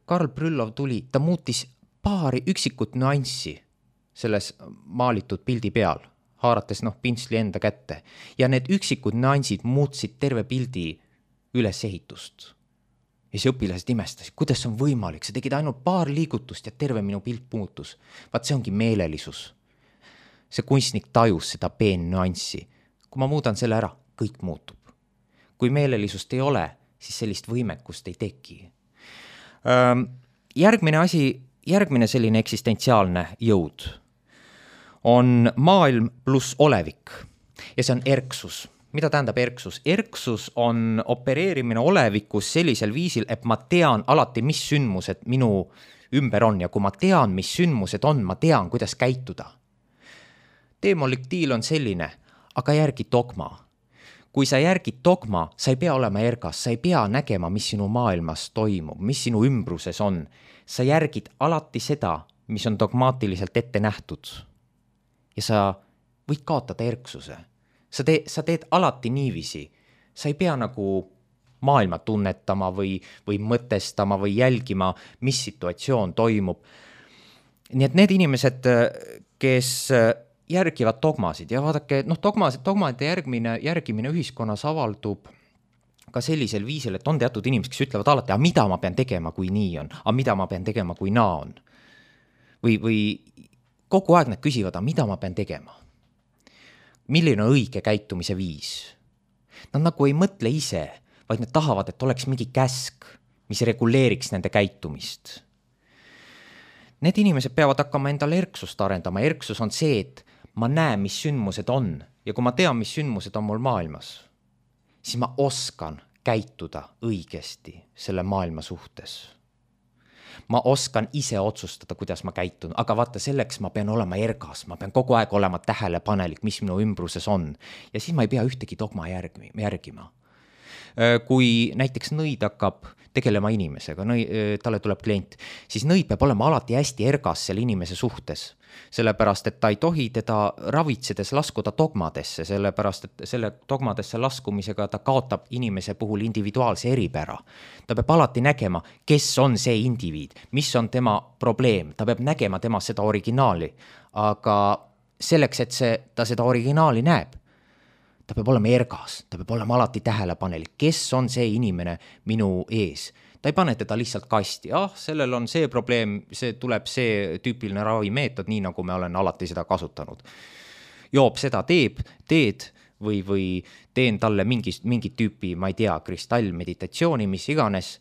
Karl Brüllov tuli, ta muutis paari üksikut nüanssi selles maalitud pildi peal, haarates noh, pintsli enda kätte. Ja need üksikud nüansid muutsid terve pildi ülesehitust. Ja see õpilased imestasid, kuidas on võimalik, sa tegid ainult paar liigutust ja terve minu pilt muutus. Vaat see ongi meelelisus. See kunstnik tajus seda peen nüanssi. Kui ma muudan selle ära, kõik muutub. Kui meelelisust ei ole, siis sellist võimekust ei teki. Järgmine asi, järgmine selline eksistentsiaalne jõud on maailm pluss olevik ja see on erksus. Mida tähendab erksus? Erksus on opereerimine olevikus sellisel viisil, et ma tean alati, mis sündmused minu ümber on ja kui ma tean, mis sündmused on, ma tean, kuidas käituda. Demolektiil on selline, aga järgi dogma. Kui sa järgid dogma, sa ei pea olema ergas, sa ei pea nägema, mis sinu maailmas toimub, mis sinu ümbruses on. Sa järgid alati seda, mis on dogmaatiliselt ette nähtud. Ja sa võid kaotada erksuse. Sa, te, sa teed alati niiviisi. Sa ei pea nagu maailma tunnetama või, või mõtestama või jälgima, mis situatsioon toimub. Nii et need inimesed, kes järgivad dogmasid ja vaadake, noh, dogmasid, dogmade järgmine, järgimine ühiskonnas avaldub ka sellisel viisil, et on teatud inimesed, kes ütlevad alati, aga mida ma pean tegema, kui nii on, aga mida ma pean tegema, kui naa on. Või, või kogu aeg nad küsivad, aga mida ma pean tegema? Milline on õige käitumise viis? Nad nagu ei mõtle ise, vaid nad tahavad, et oleks mingi käsk, mis reguleeriks nende käitumist. Need inimesed peavad hakkama endale erksust arendama. Erksus on see, et ma näen, mis sündmused on ja kui ma tean, mis sündmused on mul maailmas, siis ma oskan käituda õigesti selle maailma suhtes. Ma oskan ise otsustada, kuidas ma käitun, aga vaata, selleks ma pean olema ergas, ma pean kogu aeg olema tähelepanelik, mis minu ümbruses on ja siis ma ei pea ühtegi dogma järgima. Kui näiteks nõid hakkab tegelema inimesega, nõi, talle tuleb klient, siis nõid peab olema alati hästi ergas selle inimese suhtes, sellepärast, et ta ei tohi teda ravitsedes laskuda dogmadesse, sellepärast, et selle dogmadesse laskumisega ta kaotab inimese puhul individuaalse eripära. Ta peab alati nägema, kes on see indiviid, mis on tema probleem, ta peab nägema tema seda originaali, aga selleks, et see, ta seda originaali näeb, ta peab olema ergas, ta peab olema alati tähelepanelik, kes on see inimene minu ees. Ta ei pane teda lihtsalt kasti, ah, sellel on see probleem, see tuleb see tüüpiline ravimeetod, nii nagu me olen alati seda kasutanud. Joob seda teeb, teed, või, või teen talle mingi, mingi tüüpi, ma ei tea, kristallmeditatsiooni, mis iganes.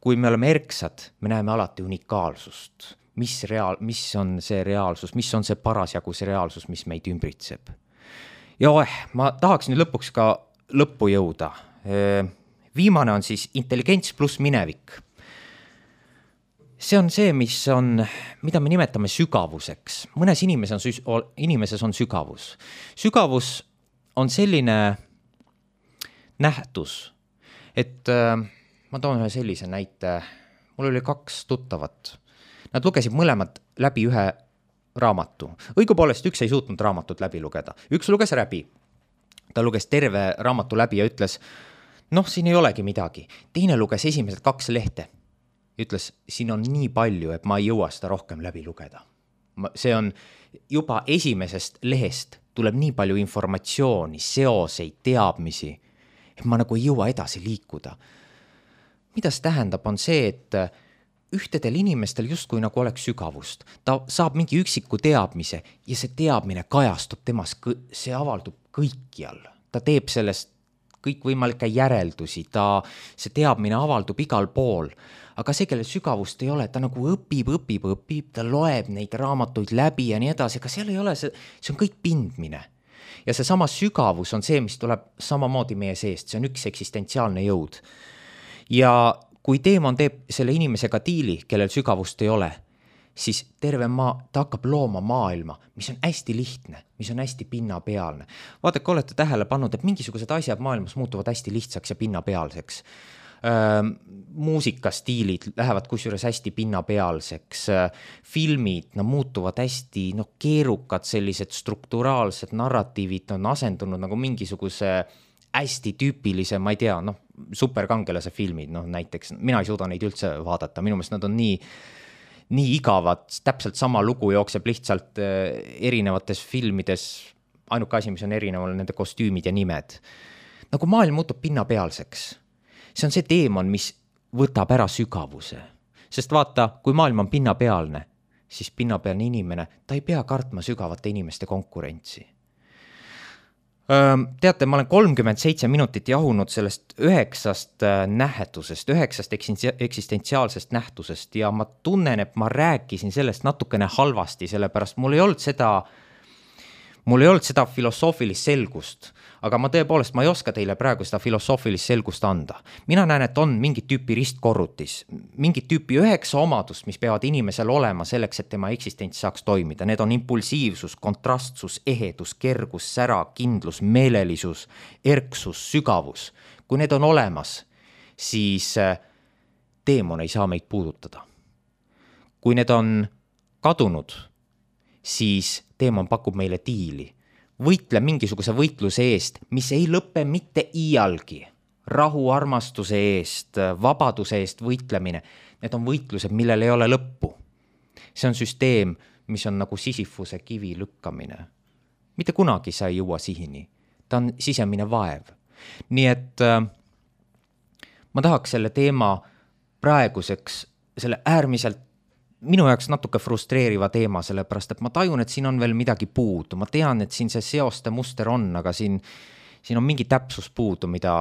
Kui me oleme erksad, me näeme alati unikaalsust. Mis, reaal, mis on see reaalsus, mis on see parasjagu see reaalsus, mis meid ümbritseb. Ja oeh, ma tahaks nüüd lõpuks ka lõppu jõuda. Viimane on siis intelligents pluss minevik. See on see, mis on, mida me nimetame sügavuseks. Mõnes inimeses on, inimeses on sügavus. Sügavus on selline nähtus, et äh, ma toon ühe sellise näite. Mul oli kaks tuttavat. Nad lugesid mõlemad läbi ühe raamatu. Õigupoolest üks ei suutnud raamatut läbi lugeda. Üks luges läbi. Ta luges terve raamatu läbi ja ütles, noh, siin ei olegi midagi. Teine luges esimesed kaks lehte. Ütles, siin on nii palju, et ma ei jõua seda rohkem läbi lugeda. See on juba esimesest lehest tuleb nii palju informatsiooni, seoseid, teadmisi, et ma nagu ei jõua edasi liikuda. Mida see tähendab, on see, et ühtedel inimestel justkui nagu oleks sügavust. Ta saab mingi üksiku teadmise ja see teadmine kajastub temas, see avaldub kõikjal. Ta teeb sellest kõikvõimalikke järeldusi, ta, see teadmine avaldub igal pool. Aga see, kelle sügavust ei ole, ta nagu õpib, õpib, õpib, ta loeb neid raamatuid läbi ja nii edasi, aga seal ei ole see, see on kõik pindmine. Ja see sama sügavus on see, mis tuleb samamoodi meie seest, see on üks eksistentsiaalne jõud. Ja kui teemon teeb selle inimesega diili, kellel sügavust ei ole, siis terve maa, ta hakkab looma maailma, mis on hästi lihtne, mis on hästi pinnapealne. Vaadake, olete tähele pannud, et mingisugused asjad maailmas muutuvad hästi lihtsaks ja pinnapealseks. Äh, muusikastiilid lähevad kusjuures hästi pinnapealseks. Äh, filmid no, muutuvad hästi no, keerukad, sellised strukturaalsed narratiivid on asendunud nagu mingisuguse hästi tüüpilise, ma ei tea, noh, superkangelase filmid, noh, näiteks, mina ei suuda neid üldse vaadata, minu meelest nad on nii nii igavad, täpselt sama lugu jookseb lihtsalt erinevates filmides, ainuke asi, mis on erineval, nende kostüümid ja nimed. Nagu maailm muutub pinnapealseks. See on see teemon, mis võtab ära sügavuse. Sest vaata, kui maailm on pinnapealne, siis pinnapealne inimene, ta ei pea kartma sügavate inimeste konkurentsi. Teate, ma olen kolmkümmend seitse minutit jahunud sellest üheksast nähtusest, üheksast eksistentsiaalsest nähtusest ja ma tunnen, et ma rääkisin sellest natukene halvasti, sellepärast mul ei olnud seda, mul ei olnud seda filosoofilist selgust, aga ma tõepoolest, ma ei oska teile praegu seda filosoofilist selgust anda. Mina näen, et on mingit tüüpi ristkorrutis, mingit tüüpi üheksa omadust, mis peavad inimesel olema selleks, et tema eksistents saaks toimida. Need on impulsiivsus, kontrastsus, ehedus, kergus, sära, kindlus, meelelisus, erksus, sügavus. Kui need on olemas, siis teemon ei saa meid puudutada. Kui need on kadunud, siis teemon pakub meile diili. Võitle mingisuguse võitluse eest, mis ei lõppe mitte iialgi. Rahu, armastuse eest, vabaduse eest võitlemine. Need on võitlused, millel ei ole lõppu. See on süsteem, mis on nagu Sisyphuse kivi lükkamine. Mitte kunagi sa ei jõua sihini. Ta on sisemine vaev. Nii et äh, ma tahaks selle teema praeguseks, selle äärmiselt minu jaoks natuke frustreeriva teema, sellepärast, et ma tajun, et siin on veel midagi puudu. Ma tean, et siin see seoste muster on, aga siin, siin on mingi täpsus puudu, mida,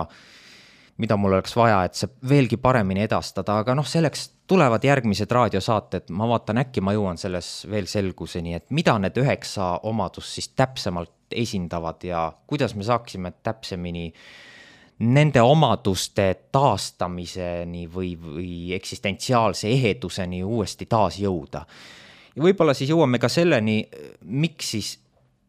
mida mul oleks vaja, et see veelgi paremini edastada. Aga noh, selleks tulevad järgmised raadiosaated. Ma vaatan, äkki ma jõuan selles veel selguseni, et mida need üheksa omadus siis täpsemalt esindavad ja kuidas me saaksime täpsemini nende omaduste taastamiseni või, või eksistentsiaalse eheduseni uuesti taas jõuda. Ja võib-olla siis jõuame ka selleni, miks, siis,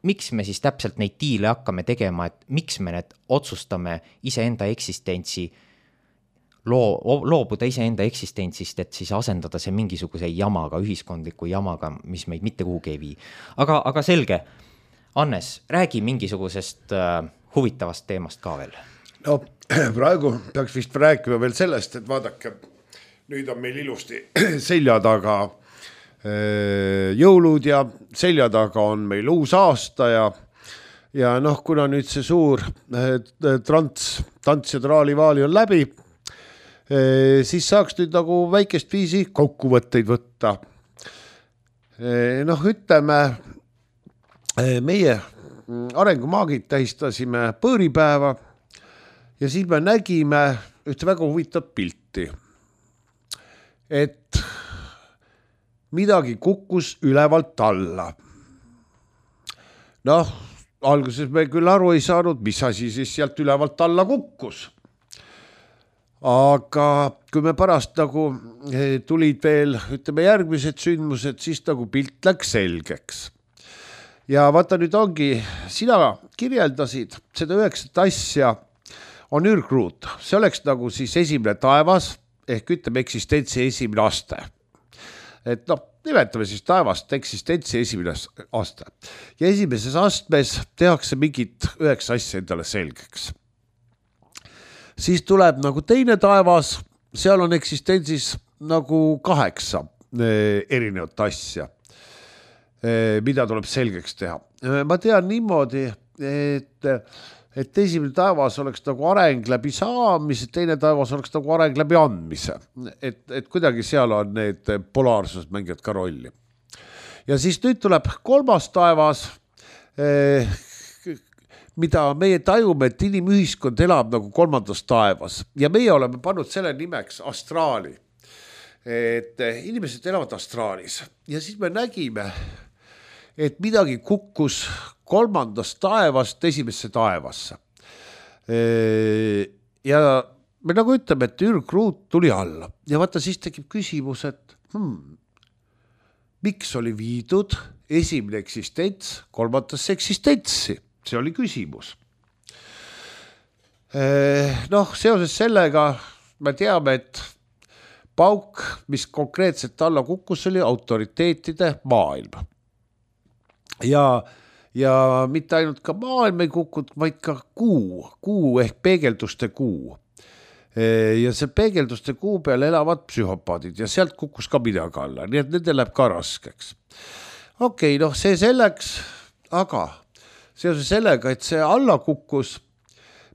miks me siis täpselt neid diile hakkame tegema, et miks me need otsustame iseenda eksistentsi, loo, loobuda iseenda eksistentsist, et siis asendada see mingisuguse jamaga, ühiskondliku jamaga, mis meid mitte kuhugi ei vii. Aga, aga selge, Annes, räägi mingisugusest äh, huvitavast teemast ka veel. No praegu peaks vist rääkima veel sellest, et vaadake, nüüd on meil ilusti selja taga jõulud ja selja taga on meil uus aasta ja, ja noh, kuna nüüd see suur trants, tants ja traalivaali on läbi, siis saaks nüüd nagu väikest viisi kokkuvõtteid võtta. Noh, ütleme, meie arengumaagid tähistasime põõripäeva ja siis me nägime ühte väga huvitavat pilti, et midagi kukkus ülevalt alla. Noh, alguses me küll aru ei saanud, mis asi siis sealt ülevalt alla kukkus. Aga kui me pärast nagu tulid veel, ütleme järgmised sündmused, siis nagu pilt läks selgeks. Ja vaata nüüd ongi, sina kirjeldasid seda üheksat asja on ürgruut. See oleks nagu siis esimene taevas, ehk ütleme eksistentsi esimene aste. Et noh, nimetame siis taevast eksistentsi esimene aste. Ja esimeses astmes tehakse mingit üheksa asja endale selgeks. Siis tuleb nagu teine taevas, seal on eksistentsis nagu kaheksa erinevat asja, mida tuleb selgeks teha. Ma tean niimoodi, et, et esimene taevas oleks nagu areng läbi saamise, teine taevas oleks nagu areng läbi andmise. Et, et kuidagi seal on need polaarsused mängivad ka rolli. Ja siis nüüd tuleb kolmas taevas, mida meie tajume, et inimühiskond elab nagu kolmandas taevas. Ja meie oleme pannud selle nimeks astraali. Et inimesed elavad astraalis. Ja siis me nägime, et midagi kukkus kolmandast taevast esimesse taevasse. Ja me nagu ütleme, et ürgruut tuli alla. Ja vaata, siis tekib küsimus, et hmm, miks oli viidud esimene eksistents kolmandasse eksistentsi? See oli küsimus. Noh, seoses sellega me teame, et pauk, mis konkreetselt alla kukkus, oli autoriteetide maailm. Ja, ja mitte ainult ka maailm ei kukkud, vaid ka kuu, kuu ehk peegelduste kuu. Ja see peegelduste kuu peal elavad psühhopaadid ja sealt kukkus ka midagi alla, nii et nende läheb ka raskeks. Okei, noh, see selleks, aga seoses sellega, et see alla kukkus,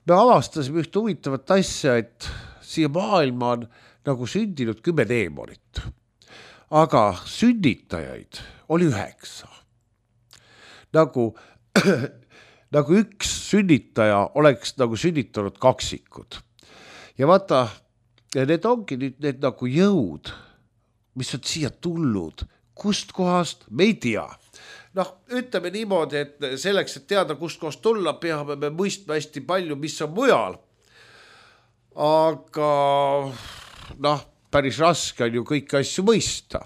me avastasime üht huvitavat asja, et siia maailma on nagu sündinud kümme teemonit. Aga sünnitajaid oli üheksa. Nagu, nagu üks sünnitaja oleks nagu sünnitanud kaksikud. Ja vaata, need ongi nüüd need nagu jõud, mis on siia tulnud. Kust kohast? Me ei tea. Noh, ütleme niimoodi, et selleks, et teada, kust kohast tulla, peame me mõistma hästi palju, mis on mujal. Aga noh, päris raske on ju kõiki asju mõista.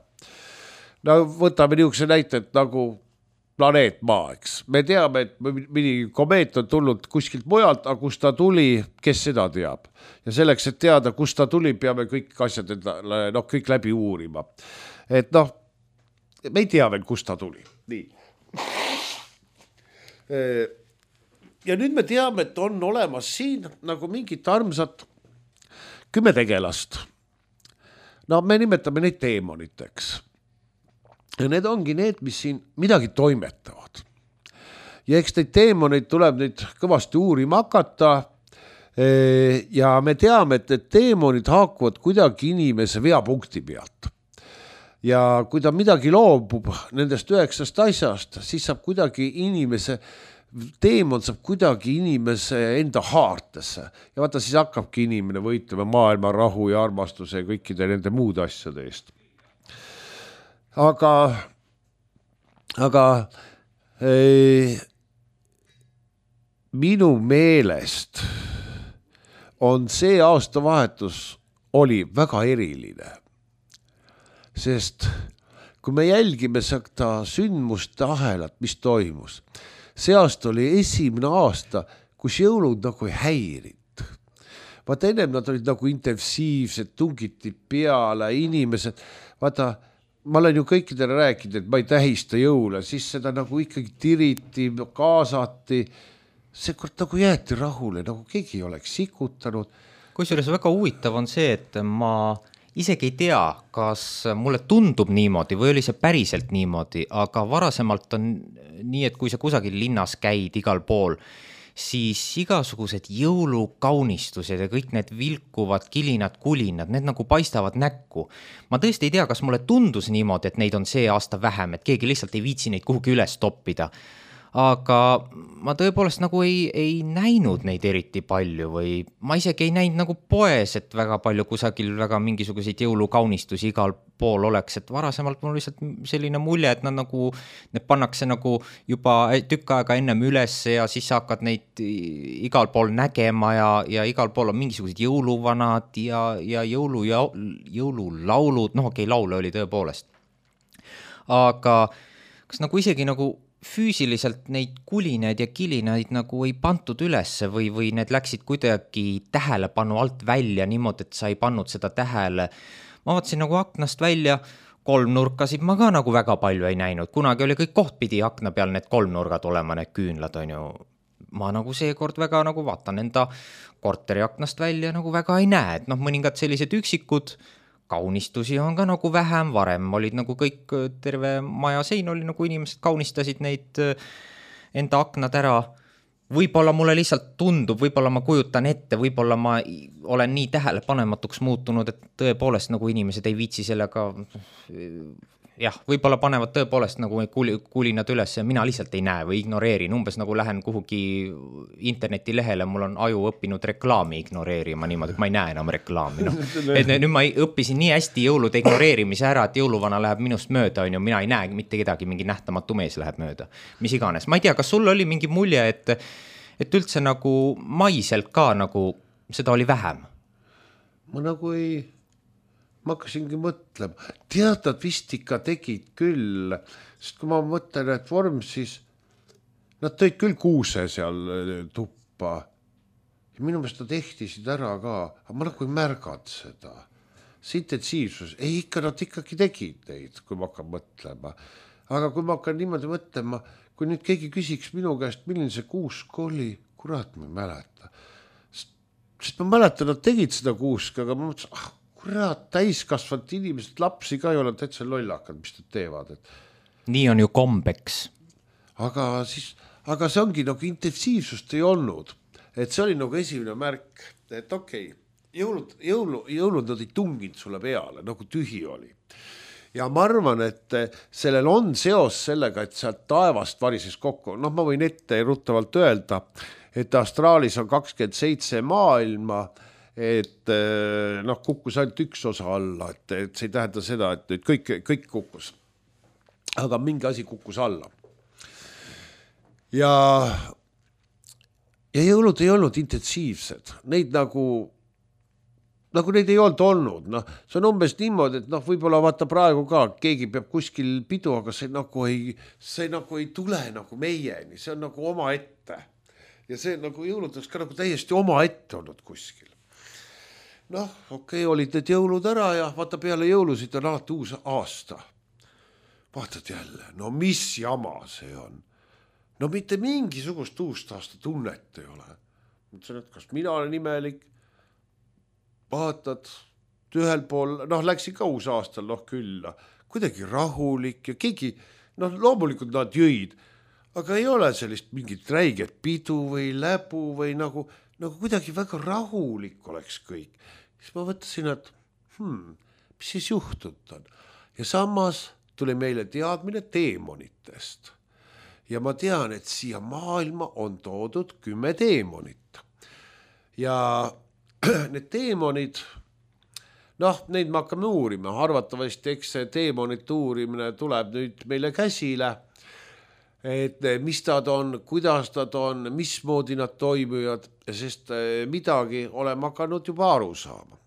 No võtame niisuguse näite, et nagu planeet Maa, eks. Me teame, et mingi komeet on tulnud kuskilt mujalt, aga kust ta tuli, kes seda teab. Ja selleks, et teada, kust ta tuli, peame kõik asjad endale, noh, kõik läbi uurima. Et noh, me ei tea veel, kust ta tuli. Nii. Ja nüüd me teame, et on olemas siin nagu mingit armsat kümme tegelast. No me nimetame neid teemoniteks. Ja need ongi need, mis siin midagi toimetavad. Ja eks neid teemoneid tuleb nüüd kõvasti uurima hakata. Ja me teame, et need teemonid haakuvad kuidagi inimese veapunkti pealt. Ja kui ta midagi loobub nendest üheksast asjast, siis saab kuidagi inimese, teemon saab kuidagi inimese enda haartesse. Ja vaata, siis hakkabki inimene võitlema maailma rahu ja armastuse ja kõikide nende muud asjade eest. Aga, aga ei, minu meelest on see aastavahetus oli väga eriline. Sest kui me jälgime seda sündmuste ahelat, mis toimus, see aasta oli esimene aasta, kus jõulud nagu ei häirid. Vaata, ennem nad olid nagu intensiivsed, tungiti peale, inimesed, vaata, ma olen ju kõikidele rääkinud, et ma ei tähista jõule, siis seda nagu ikkagi tiriti, kaasati, see kord nagu jäeti rahule, nagu keegi ei oleks sikutanud. Kusjuures väga huvitav on see, et ma isegi ei tea, kas mulle tundub niimoodi või oli see päriselt niimoodi, aga varasemalt on nii, et kui sa kusagil linnas käid igal pool, siis igasugused jõulukaunistused ja kõik need vilkuvad kilinad, kulinad, need nagu paistavad näkku. Ma tõesti ei tea, kas mulle tundus niimoodi, et neid on see aasta vähem, et keegi lihtsalt ei viitsi neid kuhugi üles toppida. aga ma tõepoolest nagu ei, ei näinud neid eriti palju või ma isegi ei näinud nagu poes, et väga palju kusagil väga mingisuguseid jõulukaunistusi igal pool oleks, et varasemalt mul lihtsalt selline mulje, et nad nagu, need pannakse nagu juba tükk aega ennem üles ja siis sa hakkad neid igal pool nägema ja, ja igal pool on mingisugused jõuluvanad ja, ja jõulu, jõululaulud, noh okei, laule oli tõepoolest. Aga kas nagu isegi nagu füüsiliselt neid kulinaid ja kilinaid nagu ei pantud ülesse või, või need läksid kuidagi tähelepanu alt välja niimoodi, et sa ei pannud seda tähele. Ma vaatasin nagu aknast välja, kolmnurkasid ma ka nagu väga palju ei näinud. Kunagi oli kõik kohtpidi akna peal need kolmnurgad olema, need küünlad on ju. Ma nagu seekord väga nagu vaatan enda korteri aknast välja nagu väga ei näe, et noh, mõningad sellised üksikud kaunistusi on ka nagu vähem, varem olid nagu kõik, terve maja sein oli nagu inimesed kaunistasid neid enda aknad ära. Võib-olla mulle lihtsalt tundub, võib-olla ma kujutan ette, võib-olla ma olen nii tähelepanematuks muutunud, et tõepoolest nagu inimesed ei viitsi sellega, jah, võib-olla panevad tõepoolest nagu kulinad üles ja mina lihtsalt ei näe või ignoreerin, umbes nagu lähen kuhugi internetilehele, mul on aju õppinud reklaami ignoreerima niimoodi, et ma ei näe enam reklaami. No. Et nüüd ma õppisin nii hästi jõulude ignoreerimise ära, et jõuluvana läheb minust mööda, on ju, mina ei näe mitte kedagi, mingi nähtamatu mees läheb mööda, mis iganes. Ma ei tea, kas sul oli mingi mulje, et, et üldse nagu maiselt ka nagu seda oli vähem? Ma nagu ei... Ma hakkasingi mõtlema, teatad vist ikka tegid küll, sest kui ma mõtlen, et vorm, siis nad tõid küll kuuse seal tuppa ja minu meelest nad ehtisid ära ka, aga ma nagu ei märganud seda. See intensiivsus, ei ikka nad ikkagi tegid neid, kui ma hakkan mõtlema. Aga kui ma hakkan niimoodi mõtlema, kui nüüd keegi küsiks minu käest, milline see kuusk oli, kurat ma ei mäleta. Sest ma mäletan, nad tegid seda kuuska, aga ma mõtlesin, ah, kurat, täiskasvanud inimesed, lapsi ka ei ole täitsa lollakad, mis nad teevad. Et... nii on ju kombeks. Aga, siis, aga see ongi nagu intensiivsust ei olnud. Et see oli nagu esimene märk, et okei, okay, jõulud, jõulu, jõulud nad ei tunginud sulle peale, nagu tühi oli. Ja ma arvan, et sellel on seos sellega, et sealt taevast varises kokku. Noh, ma võin ette ruttavalt öelda, et Austraalis on kakskümmend seitse maailma, et noh, kukkus ainult üks osa alla, et, et see ei tähenda seda, et nüüd kõik, kõik kukkus. Aga mingi asi kukkus alla. Ja, ja jõulud ei olnud intensiivsed. Neid nagu, nagu neid ei olnud olnud. No, see on umbes niimoodi, et noh, võib-olla vaata praegu ka, keegi peab kuskil pidu, aga see nagu ei, see nagu ei tule nagu meieni. See on nagu oma ette. Ja see nagu jõuludeks ka nagu täiesti oma ette olnud kuskil. Noh, okei, okay, olid need jõulud ära ja vaata peale jõulusid on alati uus aasta. Vaatad jälle, no mis jama see on? No mitte mingisugust uust aasta tunnet ei ole. Mõtlesin, et kas mina olen imelik? Vaatad ühel pool, noh läksin ka uus aastal noh külla, kuidagi rahulik ja keegi, noh loomulikult nad jõid, aga ei ole sellist mingit räiget pidu või läbu või nagu, nagu kuidagi väga rahulik oleks kõik. Siis ma võttasin, et hmm, mis siis juhtud on. Ja samas tuli meile teadmine teemonitest. Ja ma tean, et siia maailma on toodud kümme teemonit. Ja need teemonid, noh, neid me hakkame uurima. Arvatavasti, eks see teemonite uurimine tuleb nüüd meile käsile. Et mis nad on, kuidas nad on, mismoodi nad toimuvad, sest midagi oleme hakanud juba aru saama.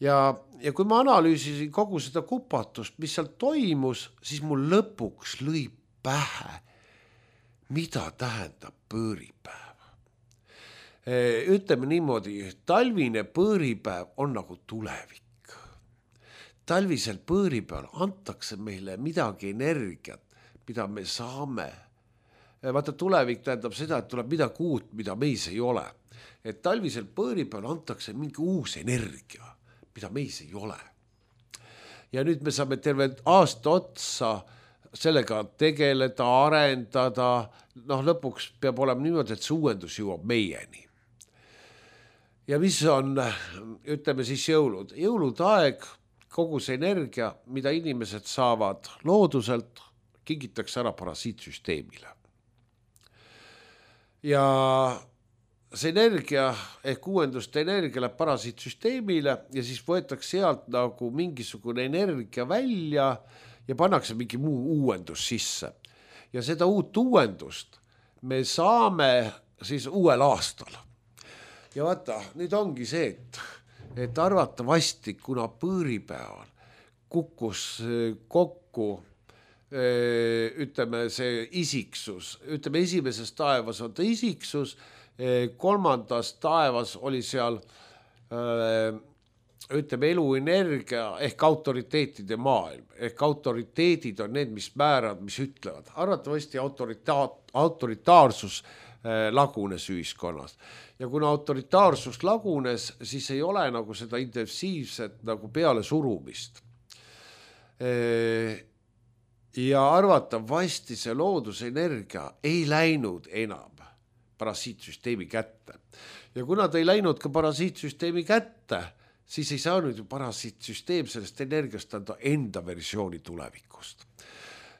Ja, ja kui ma analüüsisin kogu seda kupatust, mis seal toimus, siis mul lõpuks lõi pähe, mida tähendab pööripäev. Ütleme niimoodi, talvine pööripäev on nagu tulevik. Talvisel pööripäeval antakse meile midagi energiat, mida me saame. Vaata, tulevik tähendab seda, et tuleb midagi uut, mida meis ei ole. Et talvisel pööripäeval antakse mingi uus energia, mida meis ei ole. Ja nüüd me saame terve aasta otsa sellega tegeleda, arendada. Noh, lõpuks peab olema niimoodi, et see uuendus jõuab meieni. Ja mis on, ütleme siis jõulud. Jõulud aeg, kogu see energia, mida inimesed saavad looduselt, kingitakse ära parasiitsüsteemile. ja see energia ehk uuenduste energia läheb parasiitsüsteemile ja siis võetakse sealt nagu mingisugune energia välja ja pannakse mingi muu uuendus sisse. Ja seda uut uuendust me saame siis uuel aastal. Ja vaata, nüüd ongi see, et, et arvatavasti, kuna põõripäeval kukkus kokku ütleme see isiksus, ütleme esimeses taevas on ta isiksus, kolmandas taevas oli seal ütleme eluenergia ehk autoriteetide maailm, ehk autoriteedid on need, mis määravad, mis ütlevad. Arvatavasti autoritaat, autoritaarsus lagunes ühiskonnas ja kuna autoritaarsus lagunes, siis ei ole nagu seda intensiivset nagu peale surumist. Ja arvatavasti see loodusenergia ei läinud enam parasiitsüsteemi kätte. Ja kuna ta ei läinud ka parasiitsüsteemi kätte, siis ei saanud ju parasiitsüsteem sellest energiast anda enda versiooni tulevikust.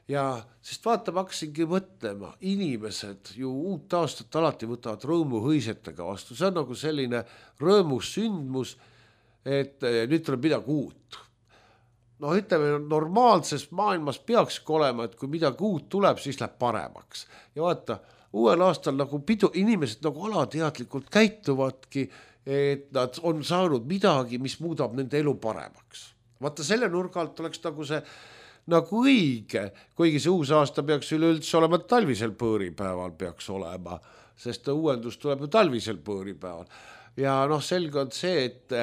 Ja sest vaata, ma hakkasingi mõtlema, inimesed ju uut aastat alati võtavad rõõmuhõisetega vastu. See on nagu selline rõõmus sündmus, et nüüd tuleb midagi uut. No ütleme, normaalses maailmas peakski olema, et kui midagi uut tuleb, siis läheb paremaks. Ja vaata, uuel aastal nagu pidu, inimesed nagu alateadlikult käituvadki, et nad on saanud midagi, mis muudab nende elu paremaks. Vaata, selle nurga alt oleks nagu see nagu õige, kuigi see uus aasta peaks üleüldse olema talvisel põõripäeval peaks olema, sest uuendus tuleb ju talvisel põõripäeval. Ja noh, selge on see, et,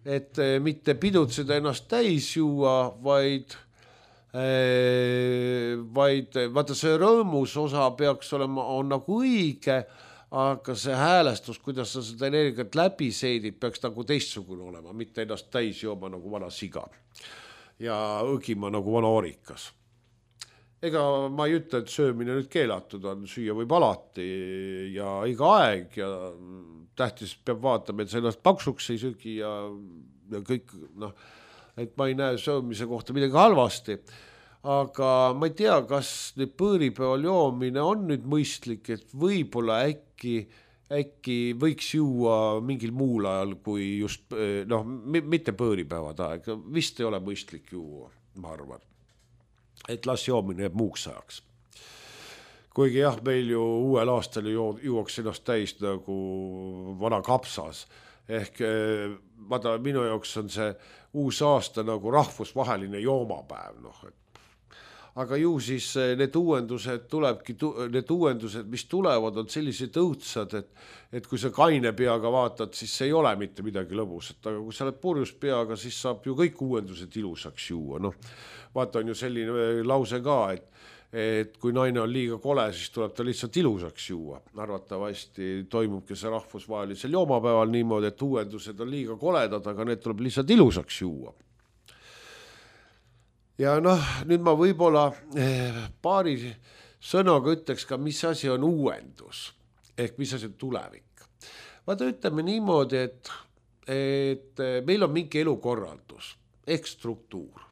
et mitte pidutseda ennast täis juua, vaid vaid vaata see rõõmus osa peaks olema, on nagu õige, aga see häälestus, kuidas sa seda energiat läbi seedid, peaks nagu teistsugune olema, mitte ennast täis jooma nagu vana siga ja õgima nagu vana orikas. Ega ma ei ütle, et söömine nüüd keelatud on, süüa võib alati ja iga aeg ja tähtis peab vaatama, et sa ennast paksuks ei söögi ja, ja kõik, noh, et ma ei näe söömise kohta midagi halvasti, aga ma ei tea, kas nüüd põõripäeval joomine on nüüd mõistlik, et võib-olla äkki, äkki võiks juua mingil muul ajal kui just, noh, mitte põõripäevad aeg, vist ei ole mõistlik juua, ma arvan, et las joomine jääb muuks ajaks. Kuigi jah, meil ju uuel aastal juuaks ennast täis nagu vana kapsas, ehk vaata, minu jaoks on see uus aasta nagu rahvusvaheline joomapäev, noh, et aga ju siis need uuendused tulebki, need uuendused, mis tulevad, on sellised õudsad, et, et kui sa kaine peaga vaatad, siis see ei ole mitte midagi lõbusat, aga kui sa oled purjus peaga, siis saab ju kõik uuendused ilusaks juua. Noh, vaata on ju selline lause ka, et, et kui naine on liiga kole, siis tuleb ta lihtsalt ilusaks juua. Arvatavasti toimubki see rahvusvahelisel joomapäeval niimoodi, et uuendused on liiga koledad, aga need tuleb lihtsalt ilusaks juua. Ja noh, nüüd ma võib-olla paari sõnaga ütleks ka, mis asi on uuendus, ehk mis asi on tulevik. Vaata ütleme niimoodi, et, et meil on mingi elukorraldus, ehk struktuur.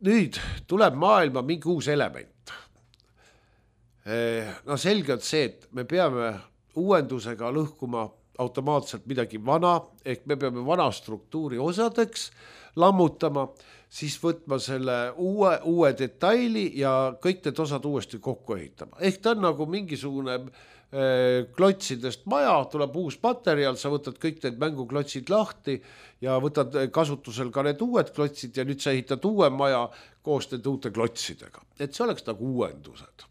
Nüüd tuleb maailma mingi uus element. No selge on see, et me peame uuendusega lõhkuma automaatselt midagi vana, ehk me peame vana struktuuri osadeks lammutama, siis võtma selle uue, uue detaili ja kõik need osad uuesti kokku ehitama. Ehk ta on nagu mingisugune äh, klotsidest maja, tuleb uus materjal, sa võtad kõik need mänguklotsid lahti ja võtad kasutusel ka need uued klotsid ja nüüd sa ehitad uue maja koos need uute klotsidega. Et see oleks nagu uuendused.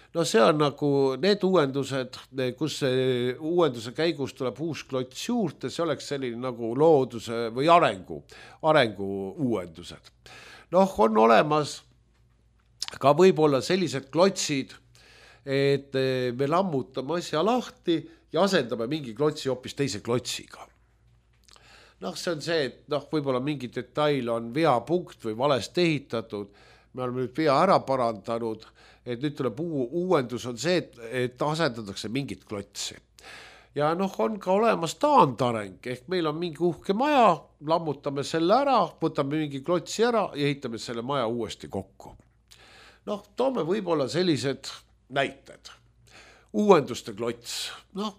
No see on nagu need uuendused, kus uuenduse käigus tuleb uus klots juurde, see oleks selline nagu looduse või arengu, arengu uuendused. Noh, on olemas ka võib-olla sellised klotsid, et me lammutame asja lahti ja asendame mingi klotsi hoopis teise klotsiga. Noh, see on see, et noh, võib-olla mingi detail on veapunkt või valest ehitatud, me oleme nüüd vea ära parandanud, et nüüd tuleb uu, uuendus on see, et, et asendatakse mingit klotsi. Ja noh, on ka olemas taandareng, ehk meil on mingi uhke maja, lammutame selle ära, võtame mingi klotsi ära ja ehitame selle maja uuesti kokku. noh, toome võib-olla sellised näited. Uuenduste klots, noh,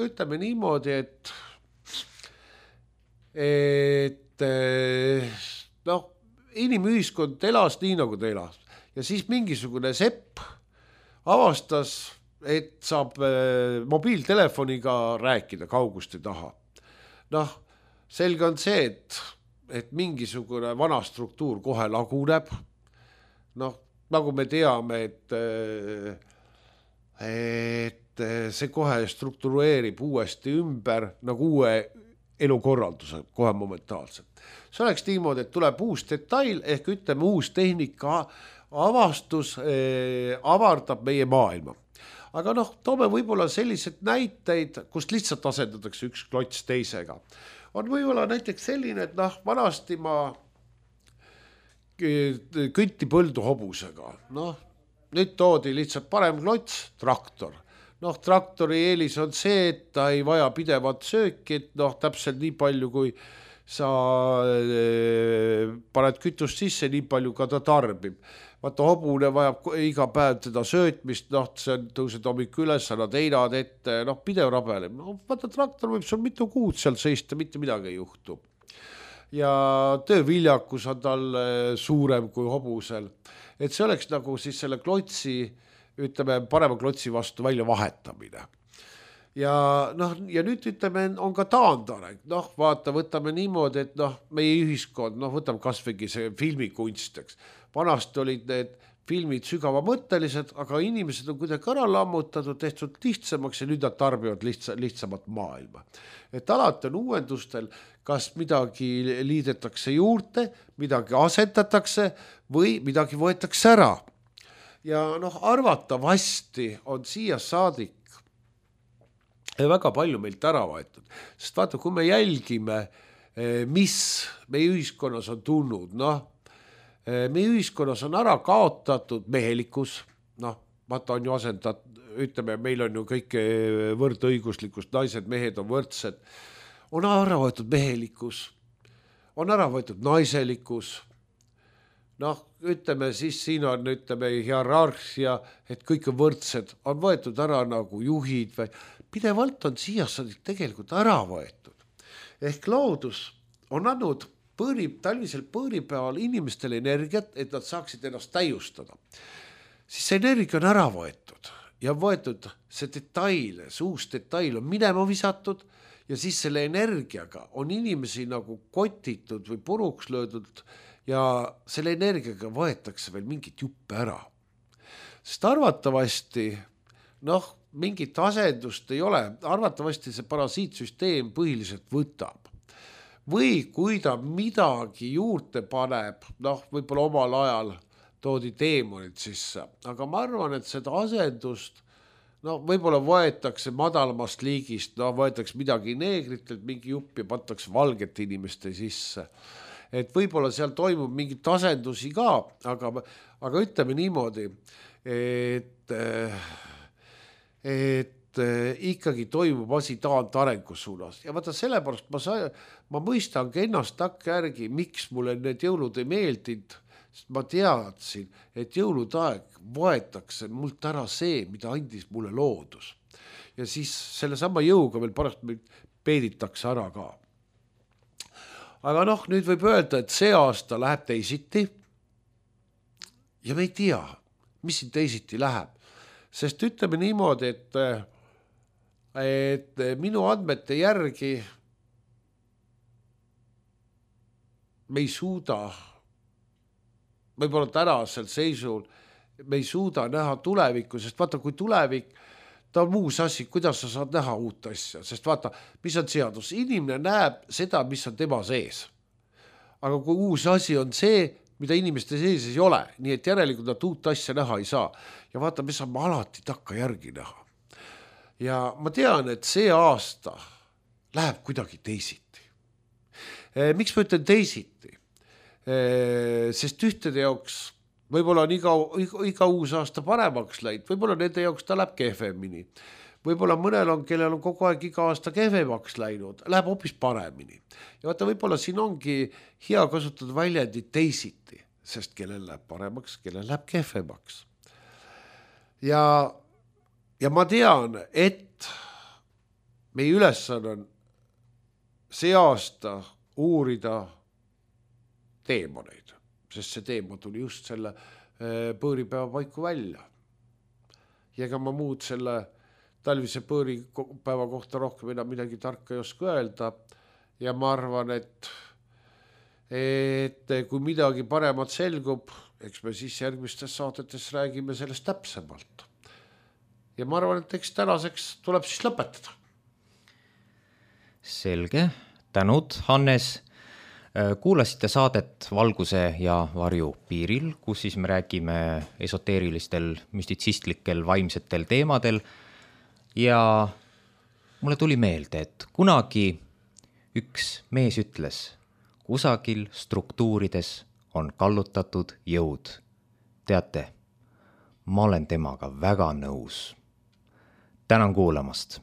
ütleme niimoodi, et et noh, inimühiskond elas nii, nagu ta elas. Ja siis mingisugune sepp avastas, et saab mobiiltelefoniga rääkida kauguste taha. Noh, selge on see, et, et mingisugune vana struktuur kohe laguneb. Noh, nagu me teame, et, et see kohe struktureerib uuesti ümber nagu uue elukorralduse kohe momentaalselt. See oleks niimoodi, et tuleb uus detail ehk ütleme uus tehnika avastus eh, avardab meie maailma. Aga noh, toome võib-olla sellised näiteid, kus lihtsalt asendatakse üks klots teisega. On võib-olla näiteks selline, et noh, vanasti ma kütti põldu hobusega. Noh, nüüd toodi lihtsalt parem klots, traktor. Noh, traktori eelis on see, et ta ei vaja pidevat sööki, et noh, täpselt nii palju, kui sa paned kütust sisse, nii palju ka ta tarbib. Vaata, hobune vajab iga päev teda söötmist, noh, see tõused hommik üles, annad einad ette, noh, pidev rabeleb. No, vaata, traktor võib sul mitu kuud seal seista, mitte midagi ei juhtu. Ja tööviljakus on tal suurem kui hobusel. Et see oleks nagu siis selle klotsi, ütleme, parema klotsi vastu välja vahetamine. Ja, noh, ja nüüd ütleme, on ka taandareng. Noh, vaata, võtame niimoodi, et noh, meie ühiskond, noh, võtame kasvõigi see filmikunsteks. Vanasti olid need filmid sügavamõttelised, aga inimesed on kuidagi ära lammutatud, tehtud lihtsamaks ja nüüd nad tarbivad lihtsa, lihtsamat maailma. Et alati on uuendustel, kas midagi liidetakse juurde, midagi asetatakse või midagi võetakse ära. Ja noh, arvatavasti on siia saadik väga palju meilt ära võetud. Sest vaata, kui me jälgime, mis meie ühiskonnas on tulnud, noh, meie ühiskonnas on ära kaotatud mehelikkus, noh, vaata on ju asendatud, ütleme, meil on ju kõik võrdõiguslikust, naised, mehed on võrdsed, on ära võetud mehelikkus, on ära võetud naiselikkus, noh, ütleme siis siin on, ütleme, hierarhia, et kõik on võrdsed, on võetud ära nagu juhid või pidevalt on siia tegelikult ära võetud. Ehk loodus on andnud põõri, talvisel põõripäeval inimestele energiat, et nad saaksid ennast täiustada. Siis see energia on ära võetud ja võetud see detail, see uus detail on minema visatud ja siis selle energiaga on inimesi nagu kotitud või puruks löödud ja selle energiaga võetakse veel mingit juppe ära. Sest arvatavasti, noh, mingit asendust ei ole, arvatavasti see parasiitsüsteem põhiliselt võtab. Või kui ta midagi juurde paneb, noh, võib-olla omal ajal toodi teemonid sisse, aga ma arvan, et seda asendust, no võib-olla võetakse madalamast liigist, no võetakse midagi neegritelt, mingi jupp ja pantakse valget inimeste sisse. Et võib-olla seal toimub mingit asendusi ka, aga, aga ütleme niimoodi, et, et ikkagi toimub asi taand arengu suunas. Ja vaata sellepärast ma, sa, ma mõistangi ennast takka järgi, miks mulle need jõulud ei meeldinud, sest ma teadsin, et jõulude aeg võetakse mult ära see, mida andis mulle loodus. Ja siis selle sama jõuga veel pärast peeditakse ära ka. Aga noh, nüüd võib öelda, et see aasta läheb teisiti ja me ei tea, mis siin teisiti läheb. Sest ütleme niimoodi, et et minu andmete järgi me ei suuda, võib-olla tänasel seisul, me ei suuda näha tulevikku, sest vaata, kui tulevik, ta on muus asi, kuidas sa saad näha uut asja, sest vaata, mis on seadus, inimene näeb seda, mis on tema sees. Aga kui uus asi on see, mida inimeste sees ei ole, nii et järelikult nad uut asja näha ei saa. Ja vaata, me saame alati takka järgi näha. Ja ma tean, et see aasta läheb kuidagi teisiti. Miks ma ütlen teisiti? Sest ühtede jaoks võib-olla on iga, iga uus aasta paremaks läinud, võib-olla nende jaoks ta läheb kehvemini. Võib-olla mõnel on, kellel on kogu aeg iga aasta kehvemaks läinud, läheb hoopis paremini. Ja vaata, võib-olla siin ongi hea kasutada väljendit teisiti, sest kellel läheb paremaks, kellel läheb kehvemaks. Ja, ja ma tean, et meie ülesanne on see aasta uurida teemoneid, sest see teema tuli just selle põõripäeva paiku välja. Ja ega ma muud selle talvise põõripäeva kohta rohkem enam midagi tarka ei oska öelda. Ja ma arvan, et, et kui midagi paremat selgub, eks me siis järgmistes saadetes räägime sellest täpsemalt. Ja ma arvan, et eks tänaseks tuleb siis lõpetada. Selge, tänud, Hannes. Kuulasite saadet Valguse ja varju piiril, kus siis me räägime esoteerilistel, müstitsistlikel, vaimsetel teemadel. Ja mulle tuli meelde, et kunagi üks mees ütles, kusagil struktuurides on kallutatud jõud. Teate, ma olen temaga väga nõus. Tänan kuulamast.